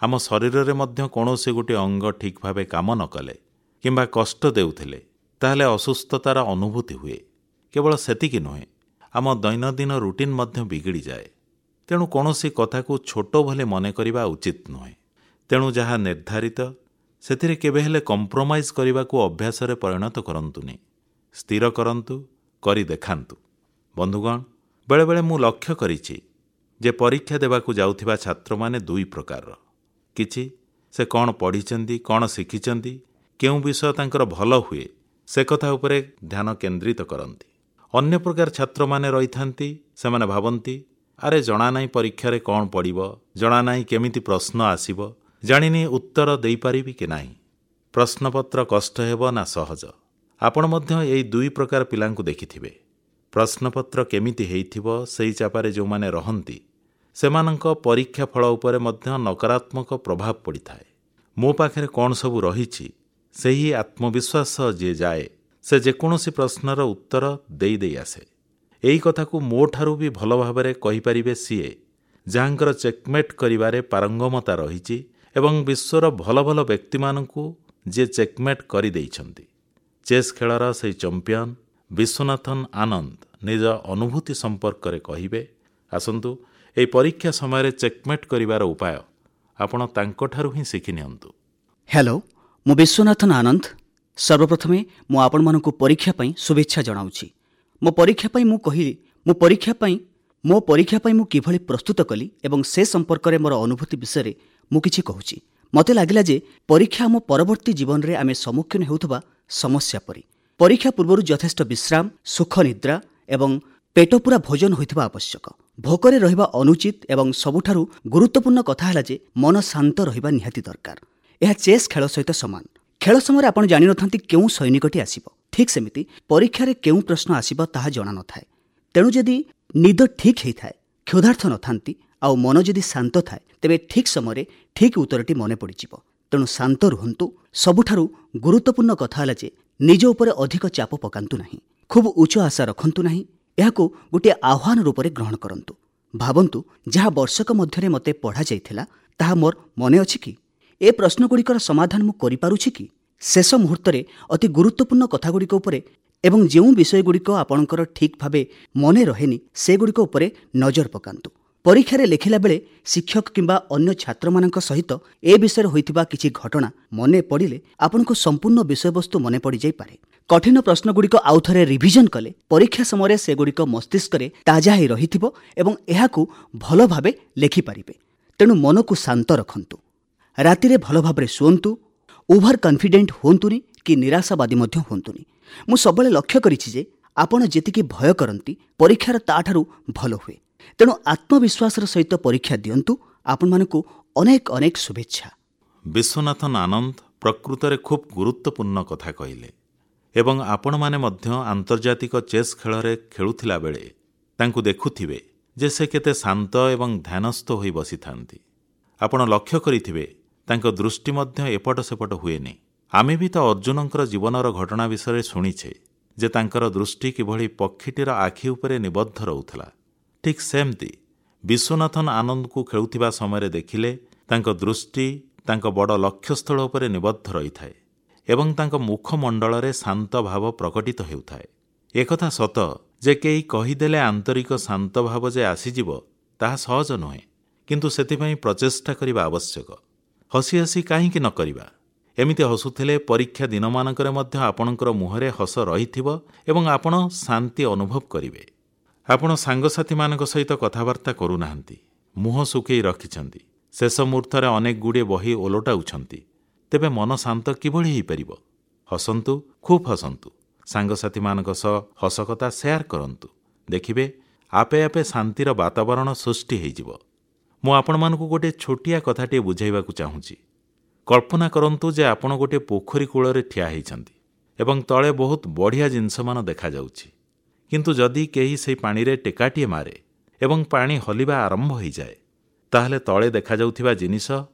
ଆମ ଶରୀରରେ ମଧ୍ୟ କୌଣସି ଗୋଟିଏ ଅଙ୍ଗ ଠିକ୍ ଭାବେ କାମ ନ କଲେ କିମ୍ବା କଷ୍ଟ ଦେଉଥିଲେ ତାହେଲେ ଅସୁସ୍ଥତାର ଅନୁଭୂତି ହୁଏ। କେବଳ ସେତିକି ନୁହେଁ, ଆମ ଦୈନନ୍ଦିନ ରୁଟିନ୍ ମଧ୍ୟ ବିଗିଡ଼ିଯାଏ। ତେଣୁ କୌଣସି କଥାକୁ ଛୋଟ ବୋଲି ମନେ କରିବା ଉଚିତ ନୁହେଁ। ତେଣୁ ଯାହା ନିର୍ଦ୍ଧାରିତ ସେଥିରେ କେବେ ହେଲେ କମ୍ପ୍ରମାଇଜ୍ କରିବାକୁ ଅଭ୍ୟାସରେ ପରିଣତ କରନ୍ତୁନି। ସ୍ଥିର କରନ୍ତୁ, କରି ଦେଖାନ୍ତୁ। ବନ୍ଧୁଗଣ, ବେଳେବେଳେ ମୁଁ ଲକ୍ଷ୍ୟ କରିଛି ଯେ ପରୀକ୍ଷା ଦେବାକୁ ଯାଉଥିବା ଛାତ୍ରମାନେ ଦୁଇ ପ୍ରକାରର। କିଛି ସେ କ'ଣ ପଢ଼ିଛନ୍ତି, କ'ଣ ଶିଖିଛନ୍ତି, କେଉଁ ବିଷୟ ତାଙ୍କର ଭଲ ହୁଏ, ସେ କଥା ଉପରେ ଧ୍ୟାନ କେନ୍ଦ୍ରିତ କରନ୍ତି। ଅନ୍ୟ ପ୍ରକାର ଛାତ୍ରମାନେ ରହିଥାନ୍ତି, ସେମାନେ ଭାବନ୍ତି ଆରେ ଜଣା ନାହିଁ ପରୀକ୍ଷାରେ କ'ଣ ପଡ଼ିବ, ଜଣା ନାହିଁ କେମିତି ପ୍ରଶ୍ନ ଆସିବ, ଜାଣିନି ଉତ୍ତର ଦେଇପାରିବି କି ନାହିଁ, ପ୍ରଶ୍ନପତ୍ର କଷ୍ଟ ହେବ ନା ସହଜ। ଆପଣ ମଧ୍ୟ ଏହି ଦୁଇ ପ୍ରକାର ପିଲାଙ୍କୁ ଦେଖିଥିବେ। ପ୍ରଶ୍ନପତ୍ର କେମିତି ହେଇଥିବ ସେହି ଚାପରେ ଯେଉଁମାନେ ରହନ୍ତି ସେମାନଙ୍କ ପରୀକ୍ଷା ଫଳ ଉପରେ ମଧ୍ୟ ନକାରାତ୍ମକ ପ୍ରଭାବ ପଡ଼ିଥାଏ। ମୋ ପାଖରେ କ'ଣ ସବୁ ରହିଛି ସେହି ଆତ୍ମବିଶ୍ୱାସ ସହ ଯିଏ ଯାଏ ସେ ଯେକୌଣସି ପ୍ରଶ୍ନର ଉତ୍ତର ଦେଇ ଦେଇ ଆସେ। ଏହି କଥାକୁ ମୋଠାରୁ ବି ଭଲ ଭାବରେ କହିପାରିବେ ସିଏ ଯାହାଙ୍କର ଚେକମେଟ୍ କରିବାରେ ପାରଙ୍ଗମତା ରହିଛି ଏବଂ ବିଶ୍ୱର ଭଲ ଭଲ ବ୍ୟକ୍ତିମାନଙ୍କୁ ଯିଏ ଚେକମେଟ୍ କରିଦେଇଛନ୍ତି। ଚେସ୍ ଖେଳର ସେହି ଚମ୍ପିୟନ ବିଶ୍ୱନାଥନ ଆନନ୍ଦ ନିଜ ଅନୁଭୂତି ସମ୍ପର୍କରେ କହିବେ। ଆସନ୍ତୁ ଏହି ପରୀକ୍ଷା ସମୟରେ ଚେକମେଟ୍ କରିବାର ଉପାୟ ଆପଣ ତାଙ୍କଠାରୁ ହିଁ ଶିଖି ନିଅନ୍ତୁ। ହ୍ୟାଲୋ, ମୁଁ ବିଶ୍ୱନାଥନ ଆନନ୍ଦ। ସର୍ବପ୍ରଥମେ ମୁଁ ଆପଣମାନଙ୍କୁ ପରୀକ୍ଷା ପାଇଁ ଶୁଭେଚ୍ଛା ଜଣାଉଛି। ମୋ ପରୀକ୍ଷା ପାଇଁ ମୁଁ କହିଲି ମୋ ପରୀକ୍ଷା ପାଇଁ ମୁଁ କିଭଳି ପ୍ରସ୍ତୁତ କଲି ଏବଂ ସେ ସମ୍ପର୍କରେ ମୋର ଅନୁଭୂତି ବିଷୟରେ ମୁଁ କିଛି କହୁଛି। ମୋତେ ଲାଗିଲା ଯେ ପରୀକ୍ଷା ଆମ ପରବର୍ତ୍ତୀ ଜୀବନରେ ଆମେ ସମ୍ମୁଖୀନ ହେଉଥିବା ସମସ୍ୟା ପରି। ପରୀକ୍ଷା ପୂର୍ବରୁ ଯଥେଷ୍ଟ ବିଶ୍ରାମ, ସୁଖ ନିଦ୍ରା ଏବଂ ପେଟପୁରା ଭୋଜନ ହୋଇଥିବା ଆବଶ୍ୟକ। ଭୋକରେ ରହିବା ଅନୁଚିତ ଏବଂ ସବୁଠାରୁ ଗୁରୁତ୍ୱପୂର୍ଣ୍ଣ କଥା ହେଲା ଯେ ମନ ଶାନ୍ତ ରହିବା ନିହାତି ଦରକାର। ଏହା ଚେସ୍ ଖେଳ ସହିତ ସମାନ। ଖେଳ ସମୟରେ ଆପଣ ଜାଣିନଥାନ୍ତି କେଉଁ ସୈନିକଟି ଆସିବ, ଠିକ୍ ସେମିତି ପରୀକ୍ଷାରେ କେଉଁ ପ୍ରଶ୍ନ ଆସିବ ତାହା ଜଣାନଥାଏ। ତେଣୁ ଯଦି ନିଦ ଠିକ୍ ହେଇଥାଏ, କ୍ଷୁଧାର୍ଥ ନଥାନ୍ତି ଆଉ ମନ ଯଦି ଶାନ୍ତ ଥାଏ, ତେବେ ଠିକ୍ ସମୟରେ ଠିକ୍ ଉତ୍ତରଟି ମନେ ପଡ଼ିଯିବ। ତେଣୁ ଶାନ୍ତ ରୁହନ୍ତୁ। ସବୁଠାରୁ ଗୁରୁତ୍ୱପୂର୍ଣ୍ଣ କଥା ହେଲା ଯେ ନିଜ ଉପରେ ଅଧିକ ଚାପ ପକାନ୍ତୁ ନାହିଁ, ଖୁବ୍ ଉଚ୍ଚ ଆଶା ରଖନ୍ତୁ ନାହିଁ। ଏହାକୁ ଗୋଟିଏ ଆହ୍ୱାନ ରୂପରେ ଗ୍ରହଣ କରନ୍ତୁ। ଭାବନ୍ତୁ ଯାହା ବର୍ଷକ ମଧ୍ୟରେ ମୋତେ ପଢ଼ାଯାଇଥିଲା ତାହା ମୋର ମନେ ଅଛି କି? ଏ ପ୍ରଶ୍ନଗୁଡ଼ିକର ସମାଧାନ ମୁଁ କରିପାରୁଛି କି? ଶେଷ ମୁହୂର୍ତ୍ତରେ ଅତି ଗୁରୁତ୍ୱପୂର୍ଣ୍ଣ କଥାଗୁଡ଼ିକ ଉପରେ ଏବଂ ଯେଉଁ ବିଷୟଗୁଡ଼ିକ ଆପଣଙ୍କର ଠିକ୍ ଭାବେ ମନେ ରହେନି ସେଗୁଡ଼ିକ ଉପରେ ନଜର ପକାନ୍ତୁ। ପରୀକ୍ଷାରେ ଲେଖିଲା ବେଳେ ଶିକ୍ଷକ କିମ୍ବା ଅନ୍ୟ ଛାତ୍ରମାନଙ୍କ ସହିତ ଏ ବିଷୟରେ ହୋଇଥିବା କିଛି ଘଟଣା ମନେ ପଡ଼ିଲେ ଆପଣଙ୍କୁ ସମ୍ପୂର୍ଣ୍ଣ ବିଷୟବସ୍ତୁ ମନେ ପଡ଼ିଯାଇପାରେ। କଠିନ ପ୍ରଶ୍ନଗୁଡ଼ିକ ଆଉଥରେ ରିଭିଜନ୍ କଲେ ପରୀକ୍ଷା ସମୟରେ ସେଗୁଡ଼ିକ ମସ୍ତିଷ୍କରେ ତାଜା ହୋଇ ରହିଥିବ ଏବଂ ଏହାକୁ ଭଲ ଭାବେ ଲେଖିପାରିବେ। ତେଣୁ ମନକୁ ଶାନ୍ତ ରଖନ୍ତୁ, ରାତିରେ ଭଲ ଭାବରେ ଶୁଅନ୍ତୁ, ଓଭର କନଫିଡେଣ୍ଟ ହୁଅନ୍ତୁନି କି ନିରାଶାବାଦୀ ମଧ୍ୟ ହୁଅନ୍ତୁନି। ମୁଁ ସବୁବେଳେ ଲକ୍ଷ୍ୟ କରିଛି ଯେ ଆପଣ ଯେତିକି ଭୟ କରନ୍ତି ପରୀକ୍ଷାର ତାଠାରୁ ଭଲ ହୁଏ। ତେଣୁ ଆତ୍ମବିଶ୍ୱାସର ସହିତ ପରୀକ୍ଷା ଦିଅନ୍ତୁ। ଆପଣମାନଙ୍କୁ ଅନେକ ଅନେକ ଶୁଭେଚ୍ଛା। ବିଶ୍ୱନାଥନ ଆନନ୍ଦ ପ୍ରକୃତରେ ଖୁବ୍ ଗୁରୁତ୍ୱପୂର୍ଣ୍ଣ କଥା କହିଲେ ଏବଂ ଆପଣମାନେ ମଧ୍ୟ ଆନ୍ତର୍ଜାତିକ ଚେସ୍ ଖେଳରେ ଖେଳୁଥିଲା ବେଳେ ତାଙ୍କୁ ଦେଖୁଥିବେ ଯେ ସେ କେତେ ଶାନ୍ତ ଏବଂ ଧ୍ୟାନସ୍ଥ ହୋଇ ବସିଥାନ୍ତି। ଆପଣ ଲକ୍ଷ୍ୟ କରିଥିବେ ତାଙ୍କ ଦୃଷ୍ଟି ମଧ୍ୟ ଏପଟ ସେପଟ ହୁଏନି। ଆମେ ବି ତ ଅର୍ଜୁନଙ୍କର ଜୀବନର ଘଟଣା ବିଷୟରେ ଶୁଣିଛେ ଯେ ତାଙ୍କର ଦୃଷ୍ଟି କିଭଳି ପକ୍ଷୀଟିର ଆଖି ଉପରେ ନିବଦ୍ଧ ରହୁଥିଲା। ଠିକ୍ ସେମିତି ବିଶ୍ୱନାଥନ ଆନନ୍ଦଙ୍କୁ ଖେଳୁଥିବା ସମୟରେ ଦେଖିଲେ ତାଙ୍କ ଦୃଷ୍ଟି ତାଙ୍କ ବଡ଼ ଲକ୍ଷ୍ୟସ୍ଥଳ ଉପରେ ନିବଦ୍ଧ ରହିଥାଏ ଏବଂ ତାଙ୍କ ମୁଖମଣ୍ଡଳରେ ଶାନ୍ତ ଭାବ ପ୍ରକଟିତ ହେଉଥାଏ। ଏକଥା ସତ ଯେ କେହି କହିଦେଲେ ଆନ୍ତରିକ ଶାନ୍ତ ଭାବ ଯେ ଆସିଯିବ ତାହା ସହଜ ନୁହେଁ, କିନ୍ତୁ ସେଥିପାଇଁ ପ୍ରଚେଷ୍ଟା କରିବା ଆବଶ୍ୟକ। ହସି ହସି କାହିଁକି ନ କରିବା? ଏମିତି ହସୁଥିଲେ ପରୀକ୍ଷା ଦିନମାନଙ୍କରେ ମଧ୍ୟ ଆପଣଙ୍କର ମୁହଁରେ ହସ ରହିଥିବ ଏବଂ ଆପଣ ଶାନ୍ତି ଅନୁଭବ କରିବେ। ଆପଣ ସାଙ୍ଗସାଥିମାନଙ୍କ ସହିତ କଥାବାର୍ତ୍ତା କରୁନାହାନ୍ତି, ମୁହଁ ଶୁଖେଇ ରଖିଛନ୍ତି, ଶେଷ ମୁହୂର୍ତ୍ତରେ ଅନେକ ଗୁଡ଼ିଏ ବହି ଓଲଟାଉଛନ୍ତି, ତେବେ ମନ ଶାନ୍ତ କିଭଳି ହୋଇପାରିବ? ହସନ୍ତୁ, ଖୁବ୍ ହସନ୍ତୁ, ସାଙ୍ଗସାଥିମାନଙ୍କ ସହ ହସକଥା ସେୟାର କରନ୍ତୁ। ଦେଖିବେ ଆପେ ଆପେ ଶାନ୍ତିର ବାତାବରଣ ସୃଷ୍ଟି ହୋଇଯିବ। ମୁଁ ଆପଣମାନଙ୍କୁ ଗୋଟିଏ ଛୋଟିଆ କଥାଟିଏ ବୁଝାଇବାକୁ ଚାହୁଁଛି। କଳ୍ପନା କରନ୍ତୁ ଯେ ଆପଣ ଗୋଟିଏ ପୋଖରୀ କୂଳରେ ଠିଆ ହୋଇଛନ୍ତି ଏବଂ ତଳେ ବହୁତ ବଢ଼ିଆ ଜିନିଷମାନ ଦେଖାଯାଉଛି। କିନ୍ତୁ ଯଦି କେହି ସେହି ପାଣିରେ ଟେକାଟିଏ ମାରେ ଏବଂ ପାଣି ହଲିବା ଆରମ୍ଭ ହୋଇଯାଏ, ତାହେଲେ ତଳେ ଦେଖାଯାଉଥିବା ଜିନିଷ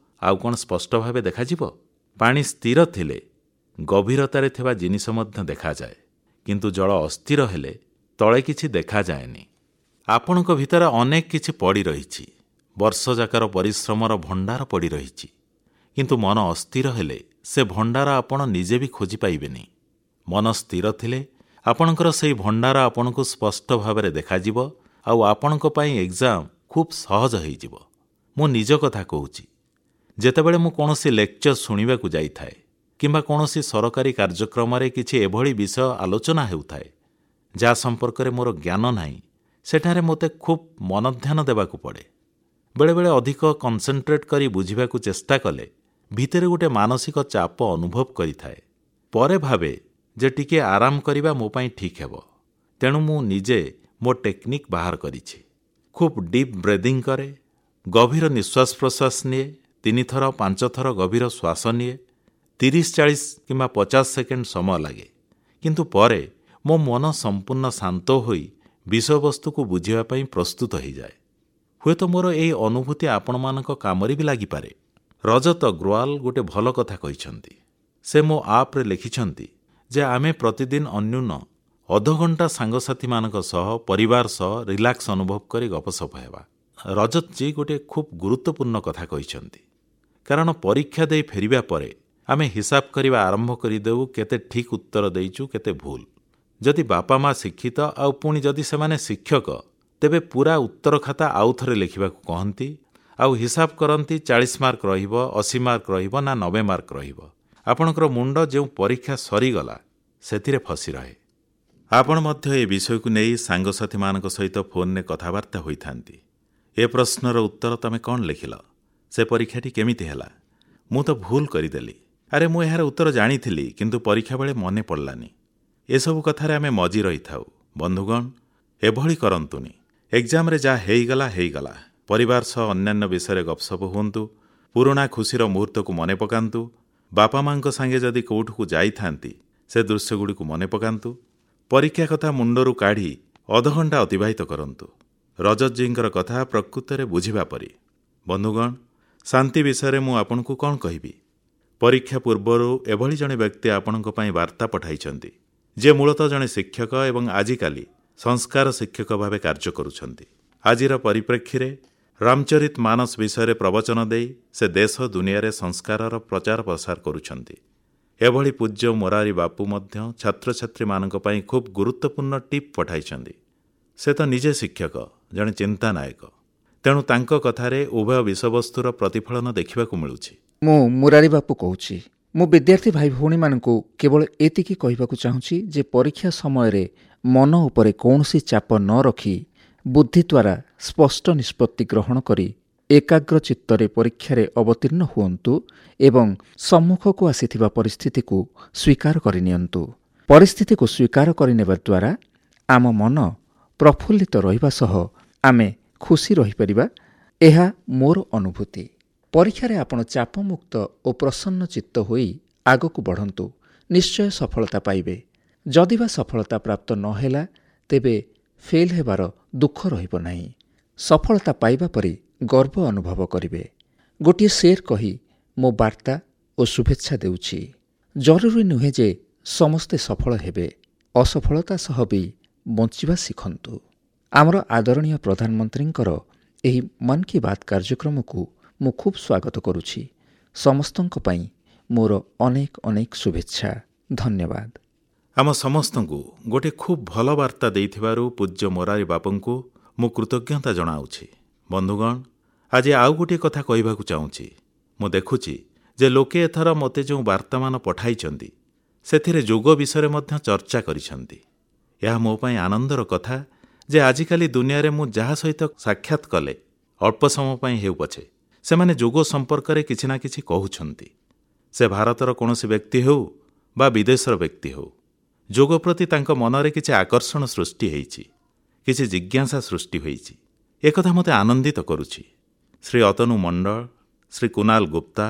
ଆଉ କ'ଣ ସ୍ପଷ୍ଟ ଭାବେ ଦେଖାଯିବ? ପାଣି ସ୍ଥିର ଥିଲେ ଗଭୀରତାରେ ଥିବା ଜିନିଷ ମଧ୍ୟ ଦେଖାଯାଏ, କିନ୍ତୁ ଜଳ ଅସ୍ଥିର ହେଲେ ତଳେ କିଛି ଦେଖାଯାଏନି। ଆପଣଙ୍କ ଭିତରେ ଅନେକ କିଛି ପଡ଼ି ରହିଛି, ବର୍ଷଯାକର ପରିଶ୍ରମର ଭଣ୍ଡାର ପଡ଼ି ରହିଛି, କିନ୍ତୁ ମନ ଅସ୍ଥିର ହେଲେ ସେ ଭଣ୍ଡାର ଆପଣ ନିଜେ ବି ଖୋଜି ପାଇବେନି। ମନ ସ୍ଥିର ଥିଲେ ଆପଣଙ୍କର ସେହି ଭଣ୍ଡାର ଆପଣଙ୍କୁ ସ୍ପଷ୍ଟ ଭାବରେ ଦେଖାଯିବ ଆଉ ଆପଣଙ୍କ ପାଇଁ ଏକ୍ଜାମ୍ ଖୁବ୍ ସହଜ ହୋଇଯିବ। ମୁଁ ନିଜ କଥା କହୁଛି, ଯେତେବେଳେ ମୁଁ କୌଣସି ଲେକ୍ଚର ଶୁଣିବାକୁ ଯାଇଥାଏ କିମ୍ବା କୌଣସି ସରକାରୀ କାର୍ଯ୍ୟକ୍ରମରେ କିଛି ଏଭଳି ବିଷୟ ଆଲୋଚନା ହେଉଥାଏ ଯାହା ସମ୍ପର୍କରେ ମୋର ଜ୍ଞାନ ନାହିଁ, ସେଠାରେ ମୋତେ ଖୁବ୍ ମନଧ୍ୟାନ ଦେବାକୁ ପଡ଼େ। ବେଳେବେଳେ ଅଧିକ କନସେନ୍ଟ୍ରେଟ୍ କରି ବୁଝିବାକୁ ଚେଷ୍ଟା କଲେ ଭିତରେ ଗୋଟେ ମାନସିକ ଚାପ ଅନୁଭବ କରିଥାଏ। ପରେ ଭାବେ ଯେ ଟିକିଏ ଆରାମ କରିବା ମୋ ପାଇଁ ଠିକ୍ ହେବ। ତେଣୁ ମୁଁ ନିଜେ ମୋ ଟେକ୍ନିକ୍ ବାହାର କରିଛି। ଖୁବ୍ ଡିପ୍ ବ୍ରେଦିଂ କରେ, ଗଭୀର ନିଶ୍ୱାସ ପ୍ରଶ୍ୱାସ ନିଏ, 3 ଥର 5 ଥର ଗଭୀର ଶ୍ୱାସ ନିଏ। 30, 40 କିମ୍ବା 50 ସେକେଣ୍ଡ ସମୟ ଲାଗେ, କିନ୍ତୁ ପରେ ମୋ ମନ ସମ୍ପୂର୍ଣ୍ଣ ଶାନ୍ତ ହୋଇ ବିଷୟବସ୍ତୁକୁ ବୁଝିବା ପାଇଁ ପ୍ରସ୍ତୁତ ହୋଇଯାଏ। ହୁଏତ ମୋର ଏହି ଅନୁଭୂତି ଆପଣମାନଙ୍କ କାମରେ ବି ଲାଗିପାରେ। ରଜତ ଅଗ୍ରୱାଲ ଗୋଟେ ଭଲ କଥା କହିଛନ୍ତି। ସେ ମୋ ଆପ୍ରେ ଲେଖିଛନ୍ତି ଯେ ଆମେ ପ୍ରତିଦିନ ଅନ୍ୟୁନ ଅଧଘଣ୍ଟା ସାଙ୍ଗସାଥୀମାନଙ୍କ ସହ, ପରିବାର ସହ ରିଲାକ୍ସ ଅନୁଭବ କରି ଗପସପ ହେବା। ରଜତଜୀ ଗୋଟିଏ ଖୁବ୍ ଗୁରୁତ୍ୱପୂର୍ଣ୍ଣ କଥା କହିଛନ୍ତି, କାରଣ ପରୀକ୍ଷା ଦେଇ ଫେରିବା ପରେ ଆମେ ହିସାବ କରିବା ଆରମ୍ଭ କରିଦେଉ କେତେ ଠିକ୍ ଉତ୍ତର ଦେଇଛୁ, କେତେ ଭୁଲ। ଯଦି ବାପା ମା ଶିକ୍ଷିତ ଆଉ ପୁଣି ଯଦି ସେମାନେ ଶିକ୍ଷକ, ତେବେ ପୁରା ଉତ୍ତର ଖାତା ଆଉ ଥରେ ଲେଖିବାକୁ କହନ୍ତି ଆଉ ହିସାବ କରନ୍ତି 40 ମାର୍କ ରହିବ, 80 ମାର୍କ ରହିବ ନା 90 ମାର୍କ ରହିବ। ଆପଣଙ୍କର ମୁଣ୍ଡ ଯେଉଁ ପରୀକ୍ଷା ସରିଗଲା ସେଥିରେ ଫସି ରହେ। ଆପଣ ମଧ୍ୟ ଏ ବିଷୟକୁ ନେଇ ସାଙ୍ଗସାଥୀମାନଙ୍କ ସହିତ ଫୋନ୍ରେ କଥାବାର୍ତ୍ତା ହୋଇଥାନ୍ତି। ଏ ପ୍ରଶ୍ନର ଉତ୍ତର ତମେ କ'ଣ ଲେଖିଲ? ସେ ପରୀକ୍ଷାଟି କେମିତି ହେଲା? ମୁଁ ତ ଭୁଲ କରିଦେଲି। ଆରେ ମୁଁ ଏହାର ଉତ୍ତର ଜାଣିଥିଲି, କିନ୍ତୁ ପରୀକ୍ଷା ବେଳେ ମନେ ପଡ଼ିଲାନି। ଏସବୁ କଥାରେ ଆମେ ମଜି ରହିଥାଉ। ବନ୍ଧୁଗଣ, ଏଭଳି କରନ୍ତୁନି। ଏକ୍ଜାମ୍ରେ ଯାହା ହେଇଗଲା ହେଇଗଲା। ପରିବାର ସହ ଅନ୍ୟାନ୍ୟ ବିଷୟରେ ଗପସପ ହୁଅନ୍ତୁ। ପୁରୁଣା ଖୁସିର ମୁହୂର୍ତ୍ତକୁ ମନେ ପକାନ୍ତୁ। ବାପା ମାଙ୍କ ସାଙ୍ଗେ ଯଦି କେଉଁଠିକୁ ଯାଇଥାନ୍ତି ସେ ଦୃଶ୍ୟଗୁଡ଼ିକୁ ମନେ ପକାନ୍ତୁ। ପରୀକ୍ଷା କଥା ମୁଣ୍ଡରୁ କାଢ଼ି ଅଧଘଣ୍ଟା ଅତିବାହିତ କରନ୍ତୁ। ରଜତଜୀଙ୍କର କଥା ପ୍ରକୃତରେ ବୁଝିବା ପରି। ବନ୍ଧୁଗଣ, ଶାନ୍ତି ବିଷୟରେ ମୁଁ ଆପଣଙ୍କୁ କ'ଣ କହିବି? ପରୀକ୍ଷା ପୂର୍ବରୁ ଏଭଳି ଜଣେ ବ୍ୟକ୍ତି ଆପଣଙ୍କ ପାଇଁ ବାର୍ତ୍ତା ପଠାଇଛନ୍ତି, ଯିଏ ମୂଳତଃ ଜଣେ ଶିକ୍ଷକ ଏବଂ ଆଜିକାଲି ସଂସ୍କାର ଶିକ୍ଷକ ଭାବେ କାର୍ଯ୍ୟ କରୁଛନ୍ତି। ଆଜିର ପରିପ୍ରେକ୍ଷୀରେ ରାମଚରିତ ମାନସ ବିଷୟରେ ପ୍ରବଚନ ଦେଇ ସେ ଦେଶ ଦୁନିଆରେ ସଂସ୍କାରର ପ୍ରଚାର ପ୍ରସାର କରୁଛନ୍ତି। ଏଭଳି ପୂଜ୍ୟ ମୋରାରୀ ବାପୁ ମଧ୍ୟ ଛାତ୍ରଛାତ୍ରୀମାନଙ୍କ ପାଇଁ ଖୁବ୍ ଗୁରୁତ୍ୱପୂର୍ଣ୍ଣ ଟିପ୍ ପଠାଇଛନ୍ତି। ସେ ତ ନିଜେ ଶିକ୍ଷକ, ଜଣେ ଚିନ୍ତାନାୟକ, ତେଣୁ ତାଙ୍କ କଥାରେ ଉଭୟ ବିଷୟବସ୍ତୁର ପ୍ରତିଫଳନ ଦେଖିବାକୁ ମିଳୁଛି। ମୁଁ ମୁରାରୀ ବାପୁ କହୁଛି। ମୁଁ ବିଦ୍ୟାର୍ଥୀ ଭାଇ ଭଉଣୀମାନଙ୍କୁ କେବଳ ଏତିକି କହିବାକୁ ଚାହୁଁଛି ଯେ ପରୀକ୍ଷା ସମୟରେ ମନ ଉପରେ କୌଣସି ଚାପ ନ ରଖି ବୁଦ୍ଧି ଦ୍ୱାରା ସ୍ପଷ୍ଟ ନିଷ୍ପତ୍ତି ଗ୍ରହଣ କରି ଏକାଗ୍ର ଚିତ୍ତରେ ପରୀକ୍ଷାରେ ଅବତୀର୍ଣ୍ଣ ହୁଅନ୍ତୁ ଏବଂ ସମ୍ମୁଖକୁ ଆସିଥିବା ପରିସ୍ଥିତିକୁ ସ୍ୱୀକାର କରିନିଅନ୍ତୁ। ପରିସ୍ଥିତିକୁ ସ୍ୱୀକାର କରିନେବା ଦ୍ୱାରା ଆମ ମନ ପ୍ରଫୁଲ୍ଲିତ ରହିବା ସହ ଆମେ ଖୁସି ରହିପାରିବା। ଏହା ମୋର ଅନୁଭୂତି। ପରୀକ୍ଷାରେ ଆପଣ ଚାପମୁକ୍ତ ଓ ପ୍ରସନ୍ନ ଚିତ୍ତ ହୋଇ ଆଗକୁ ବଢ଼ନ୍ତୁ, ନିଶ୍ଚୟ ସଫଳତା ପାଇବେ। ଯଦି ବା ସଫଳତା ପ୍ରାପ୍ତ ନ ହେଲା, ତେବେ ଫେଲ୍ ହେବାର ଦୁଃଖ ରହିବ ନାହିଁ। ସଫଳତା ପାଇବା ପରି ଗର୍ବ ଅନୁଭବ କରିବେ। ଗୋଟିଏ ଶେର୍ କହି ମୋ ବାର୍ତ୍ତା ଓ ଶୁଭେଚ୍ଛା ଦେଉଛି। ଜରୁରୀ ନୁହେଁ ଯେ ସମସ୍ତେ ସଫଳ ହେବେ, ଅସଫଳତା ସହ ବି ବଞ୍ଚିବା ଶିଖନ୍ତୁ। ଆମର ଆଦରଣୀୟ ପ୍ରଧାନମନ୍ତ୍ରୀଙ୍କର ଏହି ମନ୍ କି ବାତ୍ କାର୍ଯ୍ୟକ୍ରମକୁ ମୁଁ ଖୁବ୍ ସ୍ୱାଗତ କରୁଛି। ସମସ୍ତଙ୍କ ପାଇଁ ମୋର ଅନେକ ଅନେକ ଶୁଭେଚ୍ଛା। ଧନ୍ୟବାଦ। ଆମ ସମସ୍ତଙ୍କୁ ଗୋଟିଏ ଖୁବ୍ ଭଲ ବାର୍ତ୍ତା ଦେଇଥିବାରୁ ପୂଜ୍ୟ ମୋରାରୀ ବାପୁଙ୍କୁ ମୁଁ କୃତଜ୍ଞତା ଜଣାଉଛି। ବନ୍ଧୁଗଣ, ଆଜି ଆଉ ଗୋଟିଏ କଥା କହିବାକୁ ଚାହୁଁଛି। ମୁଁ ଦେଖୁଛି ଯେ ଲୋକେ ଏଥର ମୋତେ ଯେଉଁ ବାର୍ତ୍ତାମାନ ପଠାଇଛନ୍ତି ସେଥିରେ ଯୋଗ ବିଷୟରେ ମଧ୍ୟ ଚର୍ଚ୍ଚା କରିଛନ୍ତି। ଏହା ମୋ ପାଇଁ ଆନନ୍ଦର କଥା ଯେ ଆଜିକାଲି ଦୁନିଆରେ ମୁଁ ଯାହା ସହିତ ସାକ୍ଷାତ କଲେ ଅଳ୍ପ ସମୟ ପାଇଁ ହେଉ ପଛେ ସେମାନେ ଯୋଗ ସମ୍ପର୍କରେ କିଛି ନା କିଛି କହୁଛନ୍ତି। ସେ ଭାରତର କୌଣସି ବ୍ୟକ୍ତି ହେଉ ବା ବିଦେଶର ବ୍ୟକ୍ତି ହେଉ, ଯୋଗ ପ୍ରତି ତାଙ୍କ ମନରେ କିଛି ଆକର୍ଷଣ ସୃଷ୍ଟି ହେଇଛି, କିଛି ଜିଜ୍ଞାସା ସୃଷ୍ଟି ହୋଇଛି। ଏକଥା ମୋତେ ଆନନ୍ଦିତ କରୁଛି। ଶ୍ରୀ ଅତନୁ ମଣ୍ଡଳ, ଶ୍ରୀ କୁନାଲ ଗୁପ୍ତା,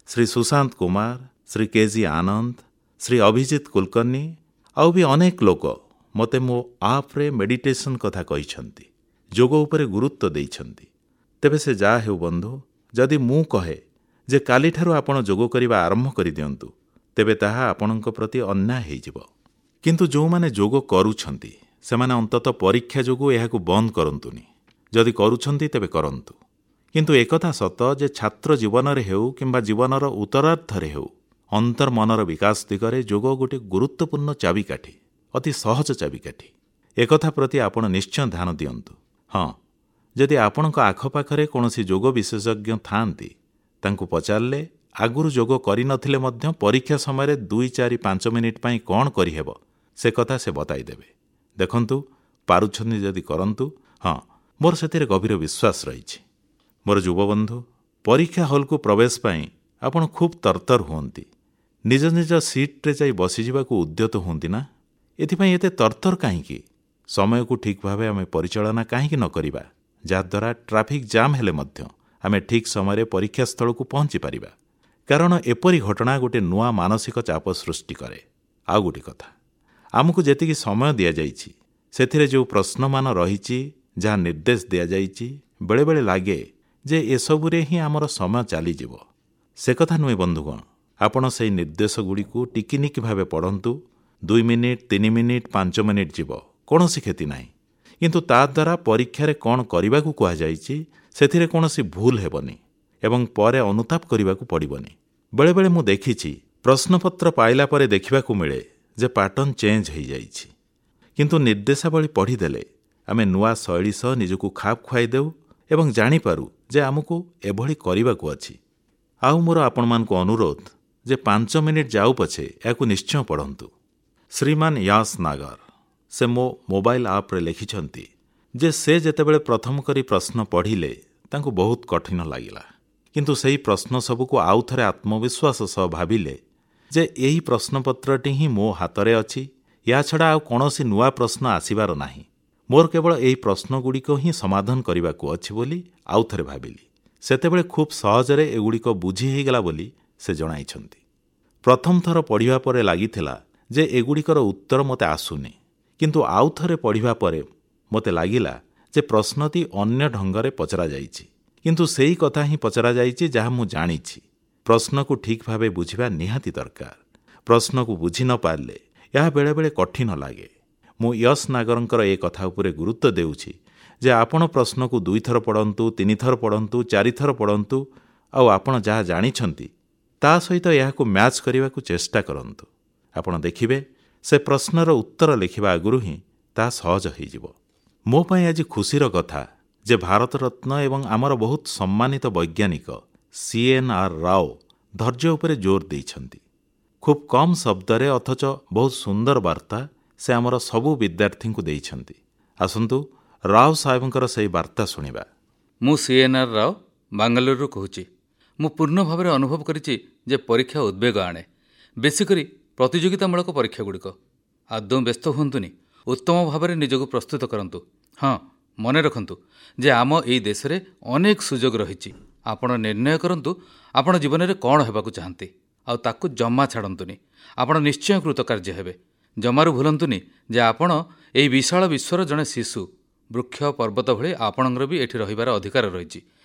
ଶ୍ରୀ ସୁଶାନ୍ତ କୁମାର, ଶ୍ରୀ କେଜି ଆନନ୍ଦ, ଶ୍ରୀ ଅଭିଜିତ କୁଲକର୍ଣ୍ଣି ଆଉ ବି ଅନେକ ଲୋକ ମୋତେ ମୋ ଆପ୍ରେ ମେଡିଟେସନ୍ କଥା କହିଛନ୍ତି, ଯୋଗ ଉପରେ ଗୁରୁତ୍ୱ ଦେଇଛନ୍ତି। ତେବେ ସେ ଯାହା ହେଉ ବନ୍ଧୁ, ଯଦି ମୁଁ କହେ ଯେ କାଲିଠାରୁ ଆପଣ ଯୋଗ କରିବା ଆରମ୍ଭ କରିଦିଅନ୍ତୁ, ତେବେ ତାହା ଆପଣଙ୍କ ପ୍ରତି ଅନ୍ୟାୟ ହେଇଯିବ। କିନ୍ତୁ ଯେଉଁମାନେ ଯୋଗ କରୁଛନ୍ତି ସେମାନେ ଅନ୍ତତଃ ପରୀକ୍ଷା ଯୋଗୁଁ ଏହାକୁ ବନ୍ଦ କରନ୍ତୁନି। ଯଦି କରୁଛନ୍ତି ତେବେ କରନ୍ତୁ। କିନ୍ତୁ ଏକଥା ସତ ଯେ ଛାତ୍ର ଜୀବନରେ ହେଉ କିମ୍ବା ଜୀବନର ଉତ୍ତରାର୍ଦ୍ଧରେ ହେଉ, ଅନ୍ତର୍ମନର ବିକାଶ ଦିଗରେ ଯୋଗ ଗୋଟିଏ ଗୁରୁତ୍ୱପୂର୍ଣ୍ଣ ଚାବିକାଠି, ଅତି ସହଜ ଚାବିକାଠି। ଏକଥା ପ୍ରତି ଆପଣ ନିଶ୍ଚୟ ଧ୍ୟାନ ଦିଅନ୍ତୁ। ହଁ, ଯଦି ଆପଣଙ୍କ ଆଖପାଖରେ କୌଣସି ଯୋଗ ବିଶେଷଜ୍ଞ ଥାଆନ୍ତି, ତାଙ୍କୁ ପଚାରିଲେ ଆଗରୁ ଯୋଗ କରିନଥିଲେ ମଧ୍ୟ ପରୀକ୍ଷା ସମୟରେ 2, 4, 5 ମିନିଟ୍ ପାଇଁ କ'ଣ କରିହେବ ସେ କଥା ସେ ବତାଇଦେବେ। ଦେଖନ୍ତୁ, ପାରୁଛନ୍ତି ଯଦି କରନ୍ତୁ। ହଁ, ମୋର ସେଥିରେ ଗଭୀର ବିଶ୍ୱାସ ରହିଛି। ମୋର ଯୁବବନ୍ଧୁ, ପରୀକ୍ଷା ହଲ୍କୁ ପ୍ରବେଶ ପାଇଁ ଆପଣ ଖୁବ୍ ତରତର ହୁଅନ୍ତି, ନିଜ ନିଜ ସିଟ୍ରେ ଯାଇ ବସିଯିବାକୁ ଉଦ୍ୟତ ହୁଅନ୍ତି ନା? ଏଥିପାଇଁ ଏତେ ତରତର କାହିଁକି? ସମୟକୁ ଠିକ୍ ଭାବେ ଆମେ ପରିଚାଳନା କାହିଁକି ନ କରିବା? ଯାହାଦ୍ୱାରା ଟ୍ରାଫିକ୍ ଜାମ୍ ହେଲେ ମଧ୍ୟ ଆମେ ଠିକ୍ ସମୟରେ ପରୀକ୍ଷାସ୍ଥଳକୁ ପହଞ୍ଚିପାରିବା। କାରଣ ଏପରି ଘଟଣା ଗୋଟିଏ ନୂଆ ମାନସିକ ଚାପ ସୃଷ୍ଟି କରେ। ଆଉ ଗୋଟିଏ କଥା, ଆମକୁ ଯେତିକି ସମୟ ଦିଆଯାଇଛି ସେଥିରେ ଯେଉଁ ପ୍ରଶ୍ନମାନ ରହିଛି, ଯାହା ନିର୍ଦ୍ଦେଶ ଦିଆଯାଇଛି, ବେଳେବେଳେ ଲାଗେ ଯେ ଏସବୁରେ ହିଁ ଆମର ସମୟ ଚାଲିଯିବ। ସେ କଥା ନୁହେଁ ବନ୍ଧୁଗଣ, ଆପଣ ସେହି ନିର୍ଦ୍ଦେଶଗୁଡ଼ିକୁ ଟିକିନିକି ଭାବେ ପଢ଼ନ୍ତୁ। 2 ମିନିଟ୍, 3 ମିନିଟ୍, 5 ମିନିଟ୍ ଯିବ, କୌଣସି କ୍ଷତି ନାହିଁ। କିନ୍ତୁ ତାଦ୍ୱାରା ପରୀକ୍ଷାରେ କ'ଣ କରିବାକୁ କୁହାଯାଇଛି ସେଥିରେ କୌଣସି ଭୁଲ ହେବନି ଏବଂ ପରେ ଅନୁତାପ କରିବାକୁ ପଡ଼ିବନି। ବେଳେବେଳେ ମୁଁ ଦେଖିଛି ପ୍ରଶ୍ନପତ୍ର ପାଇଲା ପରେ ଦେଖିବାକୁ ମିଳେ ଯେ ପାଟର୍ନ ଚେଞ୍ଜ ହୋଇଯାଇଛି, କିନ୍ତୁ ନିର୍ଦ୍ଦେଶାବଳୀ ପଢ଼ିଦେଲେ ଆମେ ନୂଆ ଶୈଳୀ ସହ ନିଜକୁ ଖାପ ଖୁଆଇ ଦେଉ ଏବଂ ଜାଣିପାରୁ ଯେ ଆମକୁ ଏଭଳି କରିବାକୁ ଅଛି। ଆଉ ମୋର ଆପଣମାନଙ୍କୁ ଅନୁରୋଧ ଯେ 5 ମିନିଟ୍ ଯାଉ ପଛେ ଏହାକୁ ନିଶ୍ଚୟ ପଢ଼ନ୍ତୁ। ଶ୍ରୀମାନ ୟାସ୍ ନାଗର ସେ ମୋ ମୋବାଇଲ ଆପ୍ରେ ଲେଖିଛନ୍ତି ଯେ ସେ ଯେତେବେଳେ ପ୍ରଥମ କରି ପ୍ରଶ୍ନ ପଢ଼ିଲେ ତାଙ୍କୁ ବହୁତ କଠିନ ଲାଗିଲା, କିନ୍ତୁ ସେହି ପ୍ରଶ୍ନ ସବୁକୁ ଆଉ ଥରେ ଆତ୍ମବିଶ୍ୱାସ ସହ ଭାବିଲେ ଯେ ଏହି ପ୍ରଶ୍ନପତ୍ରଟି ହିଁ ମୋ ହାତରେ ଅଛି, ଏହାଛଡ଼ା ଆଉ କୌଣସି ନୂଆ ପ୍ରଶ୍ନ ଆସିବାର ନାହିଁ, ମୋର କେବଳ ଏହି ପ୍ରଶ୍ନଗୁଡ଼ିକ ହିଁ ସମାଧାନ କରିବାକୁ ଅଛି ବୋଲି ଆଉ ଥରେ ଭାବିଲି। ସେତେବେଳେ ଖୁବ୍ ସହଜରେ ଏଗୁଡ଼ିକ ବୁଝି ହୋଇଗଲା ବୋଲି ସେ ଜଣାଇଛନ୍ତି। ପ୍ରଥମ ଥର ପଢ଼ିବା ପରେ ଲାଗିଥିଲା ଯେ ଏଗୁଡ଼ିକର ଉତ୍ତର ମୋତେ ଆସୁନି, କିନ୍ତୁ ଆଉ ଥରେ ପଢ଼ିବା ପରେ ମୋତେ ଲାଗିଲା ଯେ ପ୍ରଶ୍ନଟି ଅନ୍ୟ ଢଙ୍ଗରେ ପଚରାଯାଇଛି, କିନ୍ତୁ ସେଇ କଥା ହିଁ ପଚରାଯାଇଛି ଯାହା ମୁଁ ଜାଣିଛି। ପ୍ରଶ୍ନକୁ ଠିକ୍ ଭାବେ ବୁଝିବା ନିହାତି ଦରକାର। ପ୍ରଶ୍ନକୁ ବୁଝି ନ ପାରିଲେ ଏହା ବେଳେବେଳେ କଠିନ ଲାଗେ। ମୁଁ ୟଶ ନାଗରଙ୍କର ଏ କଥା ଉପରେ ଗୁରୁତ୍ୱ ଦେଉଛି ଯେ ଆପଣ ପ୍ରଶ୍ନକୁ 2 ଥର ପଢ଼ନ୍ତୁ, 3 ଥର ପଢ଼ନ୍ତୁ, 4 ଥର ପଢ଼ନ୍ତୁ, ଆଉ ଆପଣ ଯାହା ଜାଣିଛନ୍ତି ତା ସହିତ ଏହାକୁ ମ୍ୟାଚ୍ କରିବାକୁ ଚେଷ୍ଟା କରନ୍ତୁ। ଆପଣ ଦେଖିବେ ସେ ପ୍ରଶ୍ନର ଉତ୍ତର ଲେଖିବା ଆଗରୁ ହିଁ ତାହା ସହଜ ହୋଇଯିବ। ମୋ ପାଇଁ ଆଜି ଖୁସିର କଥା ଯେ ଭାରତରତ୍ନ ଏବଂ ଆମର ବହୁତ ସମ୍ମାନିତ ବୈଜ୍ଞାନିକ CNR Rao ଧୈର୍ଯ୍ୟ ଉପରେ ଜୋର ଦେଇଛନ୍ତି। ଖୁବ୍ କମ୍ ଶବ୍ଦରେ ଅଥଚ ବହୁତ ସୁନ୍ଦର ବାର୍ତ୍ତା ସେ ଆମର ସବୁ ବିଦ୍ୟାର୍ଥୀଙ୍କୁ ଦେଇଛନ୍ତି। ଆସନ୍ତୁ ରାଓ ସାହେବଙ୍କର ସେହି ବାର୍ତ୍ତା ଶୁଣିବା। ମୁଁ CNR Rao ବାଙ୍ଗାଲୋରରୁ କହୁଛି। ମୁଁ ପୂର୍ଣ୍ଣ ଭାବରେ ଅନୁଭବ କରିଛି ଯେ ପରୀକ୍ଷା ଉଦ୍ବେଗ ଆଣେ, ବେଶୀକରି ପ୍ରତିଯୋଗିତାମୂଳକ ପରୀକ୍ଷାଗୁଡ଼ିକ। ଆଦୌ ବ୍ୟସ୍ତ ହୁଅନ୍ତୁନି, ଉତ୍ତମ ଭାବରେ ନିଜକୁ ପ୍ରସ୍ତୁତ କରନ୍ତୁ। ହଁ, ମନେ ରଖନ୍ତୁ ଯେ ଆମ ଏଇ ଦେଶରେ ଅନେକ ସୁଯୋଗ ରହିଛି। ଆପଣ ନିର୍ଣ୍ଣୟ କରନ୍ତୁ ଆପଣ ଜୀବନରେ କ'ଣ ହେବାକୁ ଚାହାନ୍ତି, ଆଉ ତାକୁ ଜମା ଛାଡ଼ନ୍ତୁନି। ଆପଣ ନିଶ୍ଚୟ କୃତକାର୍ଯ୍ୟ ହେବେ। ଜମାରୁ ଭୁଲନ୍ତୁନି ଯେ ଆପଣ ଏହି ବିଶାଳ ବିଶ୍ୱର ଜଣେ ଶିଶୁ। ବୃକ୍ଷ ପର୍ବତ ଭଳି ଆପଣଙ୍କର ବି ଏଠି ରହିବାର ଅଧିକାର ରହିଛି।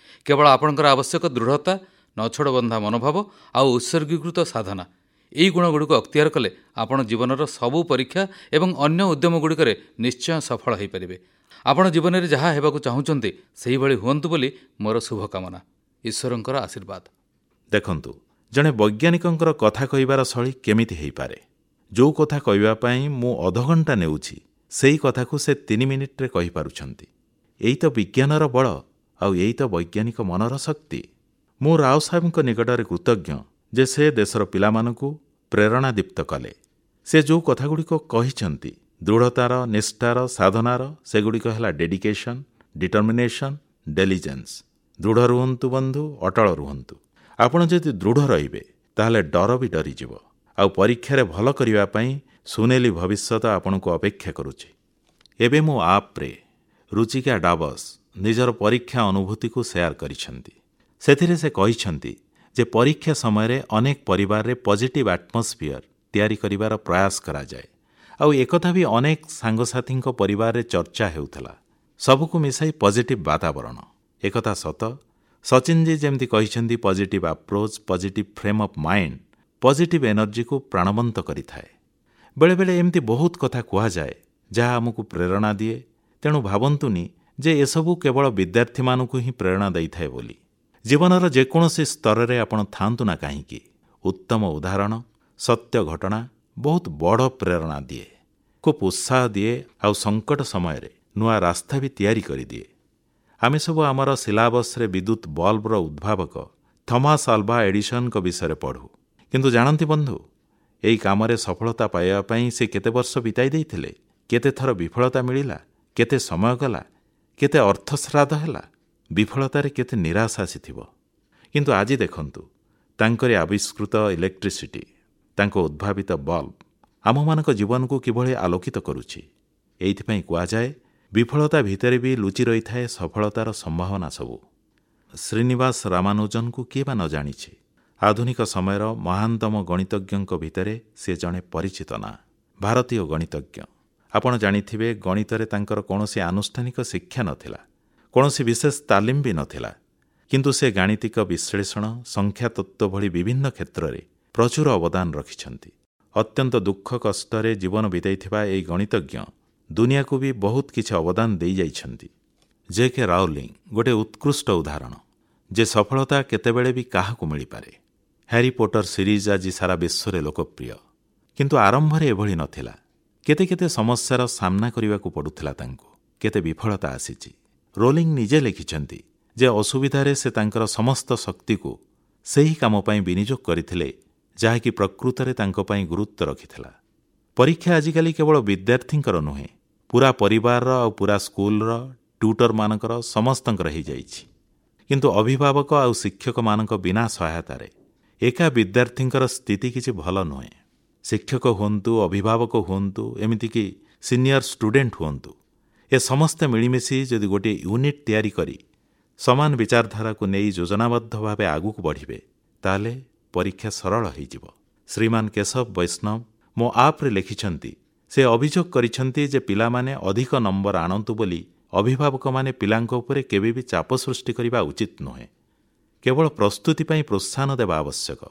କେବଳ ଆପଣଙ୍କର ଆବଶ୍ୟକ ଦୃଢ଼ତା, ନଛୋଡ଼ବନ୍ଧା ମନୋଭାବ ଆଉ ଉତ୍ସର୍ଗୀକୃତ ସାଧନା। ଏହି ଗୁଣଗୁଡ଼ିକୁ ଅକ୍ତିଆର କଲେ ଆପଣ ଜୀବନର ସବୁ ପରୀକ୍ଷା ଏବଂ ଅନ୍ୟ ଉଦ୍ୟମଗୁଡ଼ିକରେ ନିଶ୍ଚୟ ସଫଳ ହୋଇପାରିବେ। ଆପଣ ଜୀବନରେ ଯାହା ହେବାକୁ ଚାହୁଁଛନ୍ତି ସେହିଭଳି ହୁଅନ୍ତୁ ବୋଲି ମୋର ଶୁଭକାମନା। ଈଶ୍ୱରଙ୍କର ଆଶୀର୍ବାଦ। ଦେଖନ୍ତୁ, ଜଣେ ବୈଜ୍ଞାନିକଙ୍କର କଥା କହିବାର ଶୈଳୀ କେମିତି ହୋଇପାରେ। ଯେଉଁ କଥା କହିବା ପାଇଁ ମୁଁ ଅଧଘଣ୍ଟା ନେଉଛି ସେଇ କଥାକୁ ସେ 3 ମିନିଟ୍ରେ କହିପାରୁଛନ୍ତି। ଏଇ ତ ବିଜ୍ଞାନର ବଳ, ଆଉ ଏଇ ତ ବୈଜ୍ଞାନିକ ମନର ଶକ୍ତି। ମୁଁ ରାଓ ସାହେବଙ୍କ ନିକଟରେ କୃତଜ୍ଞ ଯେ ସେ ଦେଶର ପିଲାମାନଙ୍କୁ ପ୍ରେରଣାଦୀପ୍ତ କଲେ। ସେ ଯେଉଁ କଥାଗୁଡ଼ିକ କହିଛନ୍ତି, ଦୃଢ଼ତାର, ନିଷ୍ଠାର, ସାଧନାର, ସେଗୁଡ଼ିକ ହେଲା ଡେଡିକେସନ୍, ଡିଟର୍ମିନେସନ୍, ଡେଲିଜେନ୍ସ। ଦୃଢ଼ ରୁହନ୍ତୁ ବନ୍ଧୁ, ଅଟଳ ରୁହନ୍ତୁ। ଆପଣ ଯଦି ଦୃଢ଼ ରହିବେ ତାହେଲେ ଡର ବି ଡରିଯିବ, ଆଉ ପରୀକ୍ଷାରେ ଭଲ କରିବା ପାଇଁ ସୁନେଲି ଭବିଷ୍ୟତ ଆପଣଙ୍କୁ ଅପେକ୍ଷା କରୁଛି। ଏବେ ମୋ ଆପ୍ରେ ରୁଚିକା ଡାବସ୍ ନିଜର ପରୀକ୍ଷା ଅନୁଭୂତିକୁ ସେୟାର କରିଛନ୍ତି। ସେଥିରେ ସେ କହିଛନ୍ତି ଯେ ପରୀକ୍ଷା ସମୟରେ ଅନେକ ପରିବାରରେ ପଜିଟିଭ୍ ଆଟମସ୍ଫିୟର ତିଆରି କରିବାର ପ୍ରୟାସ କରାଯାଏ, ଆଉ ଏକଥା ବି ଅନେକ ସାଙ୍ଗସାଥୀଙ୍କ ପରିବାରରେ ଚର୍ଚ୍ଚା ହେଉଥିଲା। ସବୁକୁ ମିଶାଇ ପଜିଟିଭ୍ ବାତାବରଣ। ଏକଥା ସତ, ସଚିନଜୀ ଯେମିତି କହିଛନ୍ତି, positive approach, positive frame of mind positive ଏନର୍ଜିକୁ ପ୍ରାଣବନ୍ତ କରିଥାଏ। ବେଳେବେଳେ ଏମିତି ବହୁତ କଥା କୁହାଯାଏ ଯାହା ଆମକୁ ପ୍ରେରଣା ଦିଏ। ତେଣୁ ଭାବନ୍ତୁନି ଯେ ଏସବୁ କେବଳ ବିଦ୍ୟାର୍ଥୀମାନଙ୍କୁ ହିଁ ପ୍ରେରଣା ଦେଇଥାଏ ବୋଲି। ଜୀବନର ଯେକୌଣସି ସ୍ତରରେ ଆପଣ ଥାଆନ୍ତୁ ନା କାହିଁକି, ଉତ୍ତମ ଉଦାହରଣ, ସତ୍ୟ ଘଟଣା ବହୁତ ବଡ଼ ପ୍ରେରଣା ଦିଏ, ଖୁବ୍ ଉତ୍ସାହ ଦିଏ, ଆଉ ସଙ୍କଟ ସମୟରେ ନୂଆ ରାସ୍ତା ବି ତିଆରି କରିଦିଏ। ଆମେ ସବୁ ଆମର ସିଲାବସ୍ରେ ବିଦ୍ୟୁତ୍ ବଲ୍ବର ଉଦ୍ଭାବକ ଥମାସ୍ ଆଲଭା ଏଡିସନ୍ଙ୍କ ବିଷୟରେ ପଢ଼ୁ। କିନ୍ତୁ ଜାଣନ୍ତି ବନ୍ଧୁ, ଏହି କାମରେ ସଫଳତା ପାଇବା ପାଇଁ ସେ କେତେ ବର୍ଷ ବିତାଇ ଦେଇଥିଲେ, କେତେ ଥର ବିଫଳତା ମିଳିଲା, କେତେ ସମୟ ଗଲା, କେତେ ଅର୍ଥ ଶ୍ରାଦ୍ଧ ହେଲା, ବିଫଳତାରେ କେତେ ନିରାଶ ଆସିଥିବ। କିନ୍ତୁ ଆଜି ଦେଖନ୍ତୁ, ତାଙ୍କରି ଆବିଷ୍କୃତ ଇଲେକ୍ଟ୍ରିସିଟି, ତାଙ୍କ ଉଦ୍ଭାବିତ ବଲ୍ବ ଆମମାନଙ୍କ ଜୀବନକୁ କିଭଳି ଆଲୋକିତ କରୁଛି। ଏଇଥିପାଇଁ କୁହାଯାଏ, ବିଫଳତା ଭିତରେ ବି ଲୁଚି ରହିଥାଏ ସଫଳତାର ସମ୍ଭାବନା ସବୁ। ଶ୍ରୀନିବାସ ରାମାନୁଜନଙ୍କୁ କିଏ ବା ନ ଜାଣିଛି? ଆଧୁନିକ ସମୟର ମହାନତମ ଗଣିତଜ୍ଞଙ୍କ ଭିତରେ ସେ ଜଣେ ପରିଚିତ ନାଁ, ଭାରତୀୟ ଗଣିତଜ୍ଞ। ଆପଣ ଜାଣିଥିବେ, ଗଣିତରେ ତାଙ୍କର କୌଣସି ଆନୁଷ୍ଠାନିକ ଶିକ୍ଷା ନଥିଲା, କୌଣସି ବିଶେଷ ତାଲିମ ବି ନଥିଲା। କିନ୍ତୁ ସେ ଗାଣିତିକ ବିଶ୍ଳେଷଣ, ସଂଖ୍ୟାତତ୍ତ୍ୱ ଭଳି ବିଭିନ୍ନ କ୍ଷେତ୍ରରେ ପ୍ରଚୁର ଅବଦାନ ରଖିଛନ୍ତି। ଅତ୍ୟନ୍ତ ଦୁଃଖ କଷ୍ଟରେ ଜୀବନ ବିତାଇଥିବା ଏହି ଗଣିତଜ୍ଞ ଦୁନିଆକୁ ବି ବହୁତ କିଛି ଅବଦାନ ଦେଇଯାଇଛନ୍ତି। ଜେ କେ ରାଉଲିଂ ଗୋଟିଏ ଉତ୍କୃଷ୍ଟ ଉଦାହରଣ ଯେ ସଫଳତା କେତେବେଳେ ବି କାହାକୁ ମିଳିପାରେ। ହ୍ୟାରି ପୋଟର ସିରିଜ୍ ଆଜି ସାରା ବିଶ୍ୱରେ ଲୋକପ୍ରିୟ। କିନ୍ତୁ ଆରମ୍ଭରେ ଏଭଳି ନଥିଲା। କେତେ କେତେ ସମସ୍ୟାର ସାମ୍ନା କରିବାକୁ ପଡୁଥିଲା ତାଙ୍କୁ, କେତେ ବିଫଳତା ଆସିଛି। ରୋଲିଂ ନିଜେ ଲେଖିଛନ୍ତି ଯେ ଅସୁବିଧାରେ ସେ ତାଙ୍କର ସମସ୍ତ ଶକ୍ତିକୁ ସେହି କାମ ପାଇଁ ବିନିଯୋଗ କରିଥିଲେ ଯାହାକି ପ୍ରକୃତରେ ତାଙ୍କ ପାଇଁ ଗୁରୁତ୍ୱ ରଖିଥିଲା। ପରୀକ୍ଷା ଆଜିକାଲି କେବଳ ବିଦ୍ୟାର୍ଥୀଙ୍କର ନୁହେଁ, ପୁରା ପରିବାରର ଆଉ ପୁରା ସ୍କୁଲର, ଟ୍ୟୁଟରମାନଙ୍କର, ସମସ୍ତଙ୍କର ହେଇଯାଇଛି। କିନ୍ତୁ ଅଭିଭାବକ ଆଉ ଶିକ୍ଷକମାନଙ୍କ ବିନା ସହାୟତାରେ ଏକା ବିଦ୍ୟାର୍ଥୀଙ୍କର ସ୍ଥିତି କିଛି ଭଲ ନୁହେଁ। ଶିକ୍ଷକ ହୁଅନ୍ତୁ, ଅଭିଭାବକ ହୁଅନ୍ତୁ, ଏମିତିକି ସିନିୟର ଷ୍ଟୁଡେଣ୍ଟ ହୁଅନ୍ତୁ, ଏ ସମସ୍ତେ ମିଳିମିଶି ଯଦି ଗୋଟିଏ ୟୁନିଟ୍ ତିଆରି କରି ସମାନ ବିଚାରଧାରାକୁ ନେଇ ଯୋଜନାବଦ୍ଧ ଭାବେ ଆଗକୁ ବଢ଼ିବେ, ତାହେଲେ ପରୀକ୍ଷା ସରଳ ହେଇଯିବ। ଶ୍ରୀମାନ କେଶବ ବୈଷ୍ଣବ ମୋ ଆପ୍ରେ ଲେଖିଛନ୍ତି, ସେ ଅଭିଯୋଗ କରିଛନ୍ତି ଯେ ପିଲାମାନେ ଅଧିକ ନମ୍ବର ଆଣନ୍ତୁ ବୋଲି ଅଭିଭାବକମାନେ ପିଲାଙ୍କ ଉପରେ କେବେ ବି ଚାପ ସୃଷ୍ଟି କରିବା ଉଚିତ ନୁହେଁ। କେବଳ ପ୍ରସ୍ତୁତି ପାଇଁ ପ୍ରୋତ୍ସାହନ ଦେବା ଆବଶ୍ୟକ।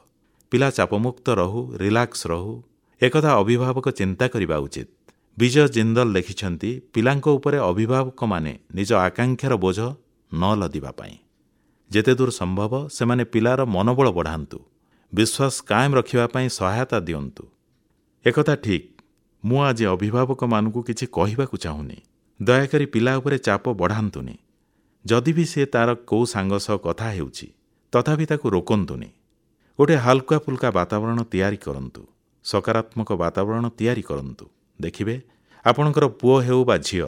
ପିଲା ଚାପମୁକ୍ତ ରହୁ, ରିଲାକ୍ସ ରହୁ, ଏକଥା ଅଭିଭାବକ ଚିନ୍ତା କରିବା ଉଚିତ। ବିଜୟ ଜିନ୍ଦଲ ଲେଖିଛନ୍ତି, ପିଲାଙ୍କ ଉପରେ ଅଭିଭାବକମାନେ ନିଜ ଆକାଂକ୍ଷାର ବୋଝ ନ ଲଦିବା ପାଇଁ ଯେତେଦୂର ସମ୍ଭବ ସେମାନେ ପିଲାର ମନୋବଳ ବଢ଼ାନ୍ତୁ, ବିଶ୍ୱାସ କାଏମ ରଖିବା ପାଇଁ ସହାୟତା ଦିଅନ୍ତୁ। ଏକଥା ଠିକ୍, ମୁଁ ଆଜି ଅଭିଭାବକମାନଙ୍କୁ କିଛି କହିବାକୁ ଚାହୁଁନି। ଦୟାକରି ପିଲା ଉପରେ ଚାପ ବଢ଼ାନ୍ତୁନି। ଯଦି ବି ସେ ତାର କୋଉ ସାଙ୍ଗ ସହ କଥା ହେଉଛି, ତଥାପି ତାକୁ ରୋକନ୍ତୁନି। ଗୋଟେ ହାଲୁକା ଫୁଲକା ବାତାବରଣ ତିଆରି କରନ୍ତୁ, ସକାରାତ୍ମକ ବାତାବରଣ ତିଆରି କରନ୍ତୁ। ଦେଖିବେ ଆପଣଙ୍କର ପୁଅ ହେଉ ବା ଝିଅ,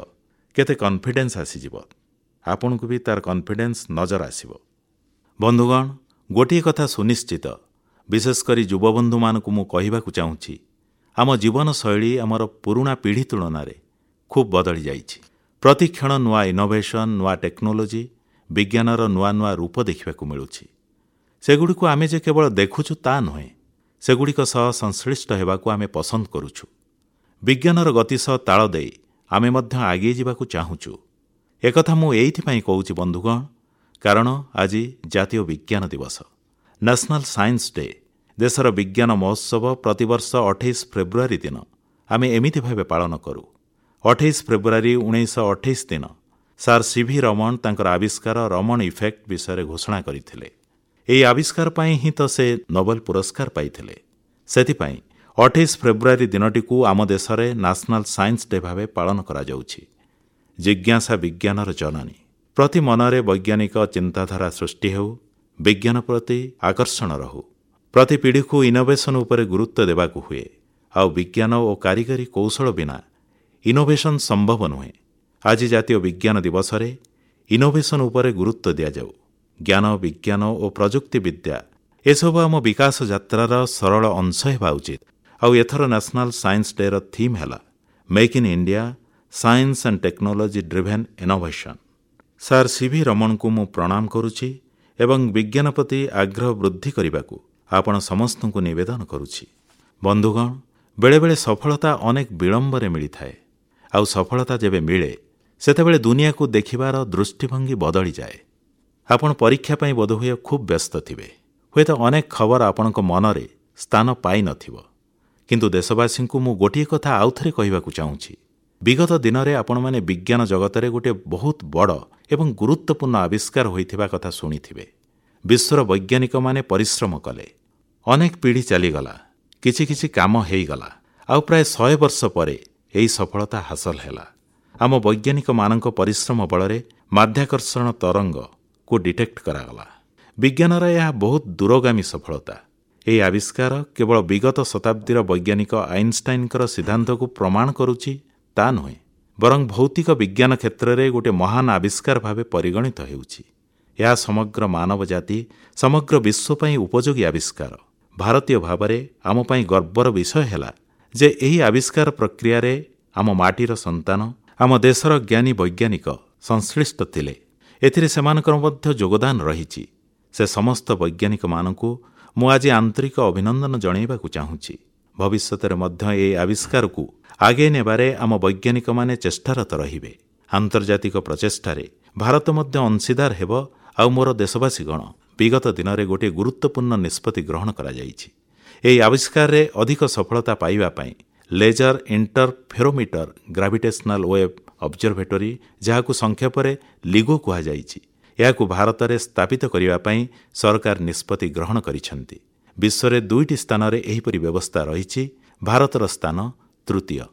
କେତେ କନଫିଡେନ୍ସ ଆସିଯିବ। ଆପଣଙ୍କୁ ବି ତାର କନଫିଡେନ୍ସ ନଜର ଆସିବ। ବନ୍ଧୁଗଣ, ଗୋଟିଏ କଥା ସୁନିଶ୍ଚିତ, ବିଶେଷ କରି ଯୁବବନ୍ଧୁମାନଙ୍କୁ ମୁଁ କହିବାକୁ ଚାହୁଁଛି, ଆମ ଜୀବନଶୈଳୀ ଆମର ପୁରୁଣା ପିଢ଼ି ତୁଳନାରେ ଖୁବ୍ ବଦଳି ଯାଇଛି। ପ୍ରତିକ୍ଷଣ ନୂଆ ଇନୋଭେସନ୍, ନୂଆ ଟେକ୍ନୋଲୋଜି, ବିଜ୍ଞାନର ନୂଆ ନୂଆ ରୂପ ଦେଖିବାକୁ ମିଳୁଛି। ସେଗୁଡ଼ିକୁ ଆମେ ଯେ କେବଳ ଦେଖୁଛୁ ତା ନୁହେଁ, ସେଗୁଡ଼ିକ ସହ ସଂଶ୍ଳିଷ୍ଟ ହେବାକୁ ଆମେ ପସନ୍ଦ କରୁଛୁ। ବିଜ୍ଞାନର ଗତି ସହ ତାଳ ଦେଇ ଆମେ ମଧ୍ୟ ଆଗେଇ ଯିବାକୁ ଚାହୁଁଛୁ। ଏକଥା ମୁଁ ଏଇଥିପାଇଁ କହୁଛି ବନ୍ଧୁଗଣ, କାରଣ ଆଜି ଜାତୀୟ ବିଜ୍ଞାନ ଦିବସ, ନ୍ୟାସନାଲ ସାଇନ୍ସ ଡେ। ଦେଶର ବିଜ୍ଞାନ ମହୋତ୍ସବ ପ୍ରତିବର୍ଷ 28 ଫେବୃଆରୀ ଦିନ ଆମେ ଏମିତି ଭାବେ ପାଳନ କରୁ। 28 ଫେବୃଆରୀ 1928 ଦିନ ସାର୍ ସିଭି ରମଣ ତାଙ୍କର ଆବିଷ୍କାର ରମଣ ଇଫେକ୍ଟ ବିଷୟରେ ଘୋଷଣା କରିଥିଲେ। ଏହି ଆବିଷ୍କାର ପାଇଁ ହିଁ ତ ସେ ନୋବେଲ ପୁରସ୍କାର ପାଇଥିଲେ। ସେଥିପାଇଁ 28 ଫେବୃଆରୀ ଦିନଟିକୁ ଆମ ଦେଶରେ ନ୍ୟାସନାଲ ସାଇନ୍ସ ଡେ ଭାବେ ପାଳନ କରାଯାଉଛି। ଜିଜ୍ଞାସା ବିଜ୍ଞାନର ଜନନୀ। ପ୍ରତି ମନରେ ବୈଜ୍ଞାନିକ ଚିନ୍ତାଧାରା ସୃଷ୍ଟି ହେଉ, ବିଜ୍ଞାନ ପ୍ରତି ଆକର୍ଷଣ ରହୁ। ପ୍ରତି ପିଢ଼ିକୁ ଇନୋଭେସନ୍ ଉପରେ ଗୁରୁତ୍ୱ ଦେବାକୁ ହୁଏ। ଆଉ ବିଜ୍ଞାନ ଓ କାରିଗରୀ କୌଶଳ ବିନା ଇନୋଭେସନ୍ ସମ୍ଭବ ନୁହେଁ। ଆଜି ଜାତୀୟ ବିଜ୍ଞାନ ଦିବସରେ ଇନୋଭେସନ୍ ଉପରେ ଗୁରୁତ୍ୱ ଦିଆଯାଉ। ଜ୍ଞାନ, ବିଜ୍ଞାନ ଓ ପ୍ରଯୁକ୍ତି ବିଦ୍ୟା ଏସବୁ ଆମ ବିକାଶ ଯାତ୍ରାର ସରଳ ଅଂଶ ହେବା ଉଚିତ। ଆଉ ଏଥର ନ୍ୟାସନାଲ ସାଇନ୍ସ ଡେର ଥିମ୍ ହେଲା make in India, science and technology driven innovation. Sir CV ରମଣଙ୍କୁ ମୁଁ ପ୍ରଣାମ କରୁଛି ଏବଂ ବିଜ୍ଞାନ ପ୍ରତି ଆଗ୍ରହ ବୃଦ୍ଧି କରିବାକୁ ଆପଣ ସମସ୍ତଙ୍କୁ ନିବେଦନ କରୁଛି। ବନ୍ଧୁଗଣ, ବେଳେବେଳେ ସଫଳତା ଅନେକ ବିଳମ୍ବରେ ମିଳିଥାଏ। ଆଉ ସଫଳତା ଯେବେ ମିଳେ, ସେତେବେଳେ ଦୁନିଆକୁ ଦେଖିବାର ଦୃଷ୍ଟିଭଙ୍ଗୀ ବଦଳିଯାଏ। ଆପଣ ପରୀକ୍ଷା ପାଇଁ ବୋଧହୁଏ ଖୁବ୍ ବ୍ୟସ୍ତ ଥିବେ। ହୁଏତ ଅନେକ ଖବର ଆପଣଙ୍କ ମନରେ ସ୍ଥାନ ପାଇନଥିବ। କିନ୍ତୁ ଦେଶବାସୀଙ୍କୁ ମୁଁ ଗୋଟିଏ କଥା ଆଉଥରେ କହିବାକୁ ଚାହୁଁଛି। ବିଗତ ଦିନରେ ଆପଣମାନେ ବିଜ୍ଞାନ ଜଗତରେ ଗୋଟିଏ ବହୁତ ବଡ଼ ଏବଂ ଗୁରୁତ୍ୱପୂର୍ଣ୍ଣ ଆବିଷ୍କାର ହୋଇଥିବା କଥା ଶୁଣିଥିବେ। ବିଶ୍ୱର ବୈଜ୍ଞାନିକମାନେ ପରିଶ୍ରମ କଲେ, ଅନେକ ପିଢ଼ି ଚାଲିଗଲା, କିଛି କିଛି କାମ ହେଇଗଲା, ଆଉ ପ୍ରାୟ 100 ବର୍ଷ ପରେ ଏହି ସଫଳତା ହାସଲ ହେଲା। ଆମ ବୈଜ୍ଞାନିକମାନଙ୍କ ପରିଶ୍ରମ ବଳରେ ମାଧ୍ୟାକର୍ଷଣ ତରଙ୍ଗକୁ ଡିଟେକ୍ଟ କରାଗଲା। ବିଜ୍ଞାନର ଏହା ବହୁତ ଦୂରଗାମୀ ସଫଳତା। ଏହି ଆବିଷ୍କାର କେବଳ ବିଗତ ଶତାବ୍ଦୀର ବୈଜ୍ଞାନିକ ଆଇନଷ୍ଟାଇନଙ୍କର ସିଦ୍ଧାନ୍ତକୁ ପ୍ରମାଣ କରୁଛି ତା ନୁହେଁ, ବରଂ ଭୌତିକ ବିଜ୍ଞାନ କ୍ଷେତ୍ରରେ ଗୋଟିଏ ମହାନ ଆବିଷ୍କାର ଭାବେ ପରିଗଣିତ ହେଉଛି। ଏହା ସମଗ୍ର ମାନବ ଜାତି, ସମଗ୍ର ବିଶ୍ୱ ପାଇଁ ଉପଯୋଗୀ ଆବିଷ୍କାର। ଭାରତୀୟ ଭାବରେ ଆମ ପାଇଁ ଗର୍ବର ବିଷୟ ହେଲା ଯେ ଏହି ଆବିଷ୍କାର ପ୍ରକ୍ରିୟାରେ ଆମ ମାଟିର ସନ୍ତାନ, ଆମ ଦେଶର ଜ୍ଞାନୀ ବୈଜ୍ଞାନିକ ସଂଶ୍ଳିଷ୍ଟ ଥିଲେ। ଏଥିରେ ସେମାନଙ୍କର ମଧ୍ୟ ଯୋଗଦାନ ରହିଛି। ସେ ସମସ୍ତ ବୈଜ୍ଞାନିକମାନଙ୍କୁ ମୁଁ ଆଜି ଆନ୍ତରିକ ଅଭିନନ୍ଦନ ଜଣାଇବାକୁ ଚାହୁଁଛି। ଭବିଷ୍ୟତରେ ମଧ୍ୟ ଏହି ଆବିଷ୍କାରକୁ ଆଗେଇ ନେବାରେ ଆମ ବୈଜ୍ଞାନିକମାନେ ଚେଷ୍ଟାରତ ରହିବେ। ଆନ୍ତର୍ଜାତିକ ପ୍ରଚେଷ୍ଟାରେ ଭାରତ ମଧ୍ୟ ଅଂଶୀଦାର ହେବ। ଆଉ ମୋର ଦେଶବାସୀଗଣ, ବିଗତ ଦିନରେ ଗୋଟିଏ ଗୁରୁତ୍ୱପୂର୍ଣ୍ଣ ନିଷ୍ପତ୍ତି ଗ୍ରହଣ କରାଯାଇଛି। ଏହି ଆବିଷ୍କାରରେ ଅଧିକ ସଫଳତା ପାଇବା ପାଇଁ laser interferometer gravitational wave observatory, ଯାହାକୁ ସଂକ୍ଷେପରେ ଲିଗୋ କୁହାଯାଇଛି, ଏହାକୁ ଭାରତରେ ସ୍ଥାପିତ କରିବା ପାଇଁ ସରକାର ନିଷ୍ପତ୍ତି ଗ୍ରହଣ କରିଛନ୍ତି। ବିଶ୍ୱରେ 2ଟି ସ୍ଥାନରେ ଏହିପରି ବ୍ୟବସ୍ଥା ରହିଛି। ଭାରତର ସ୍ଥାନ ତୃତୀୟ।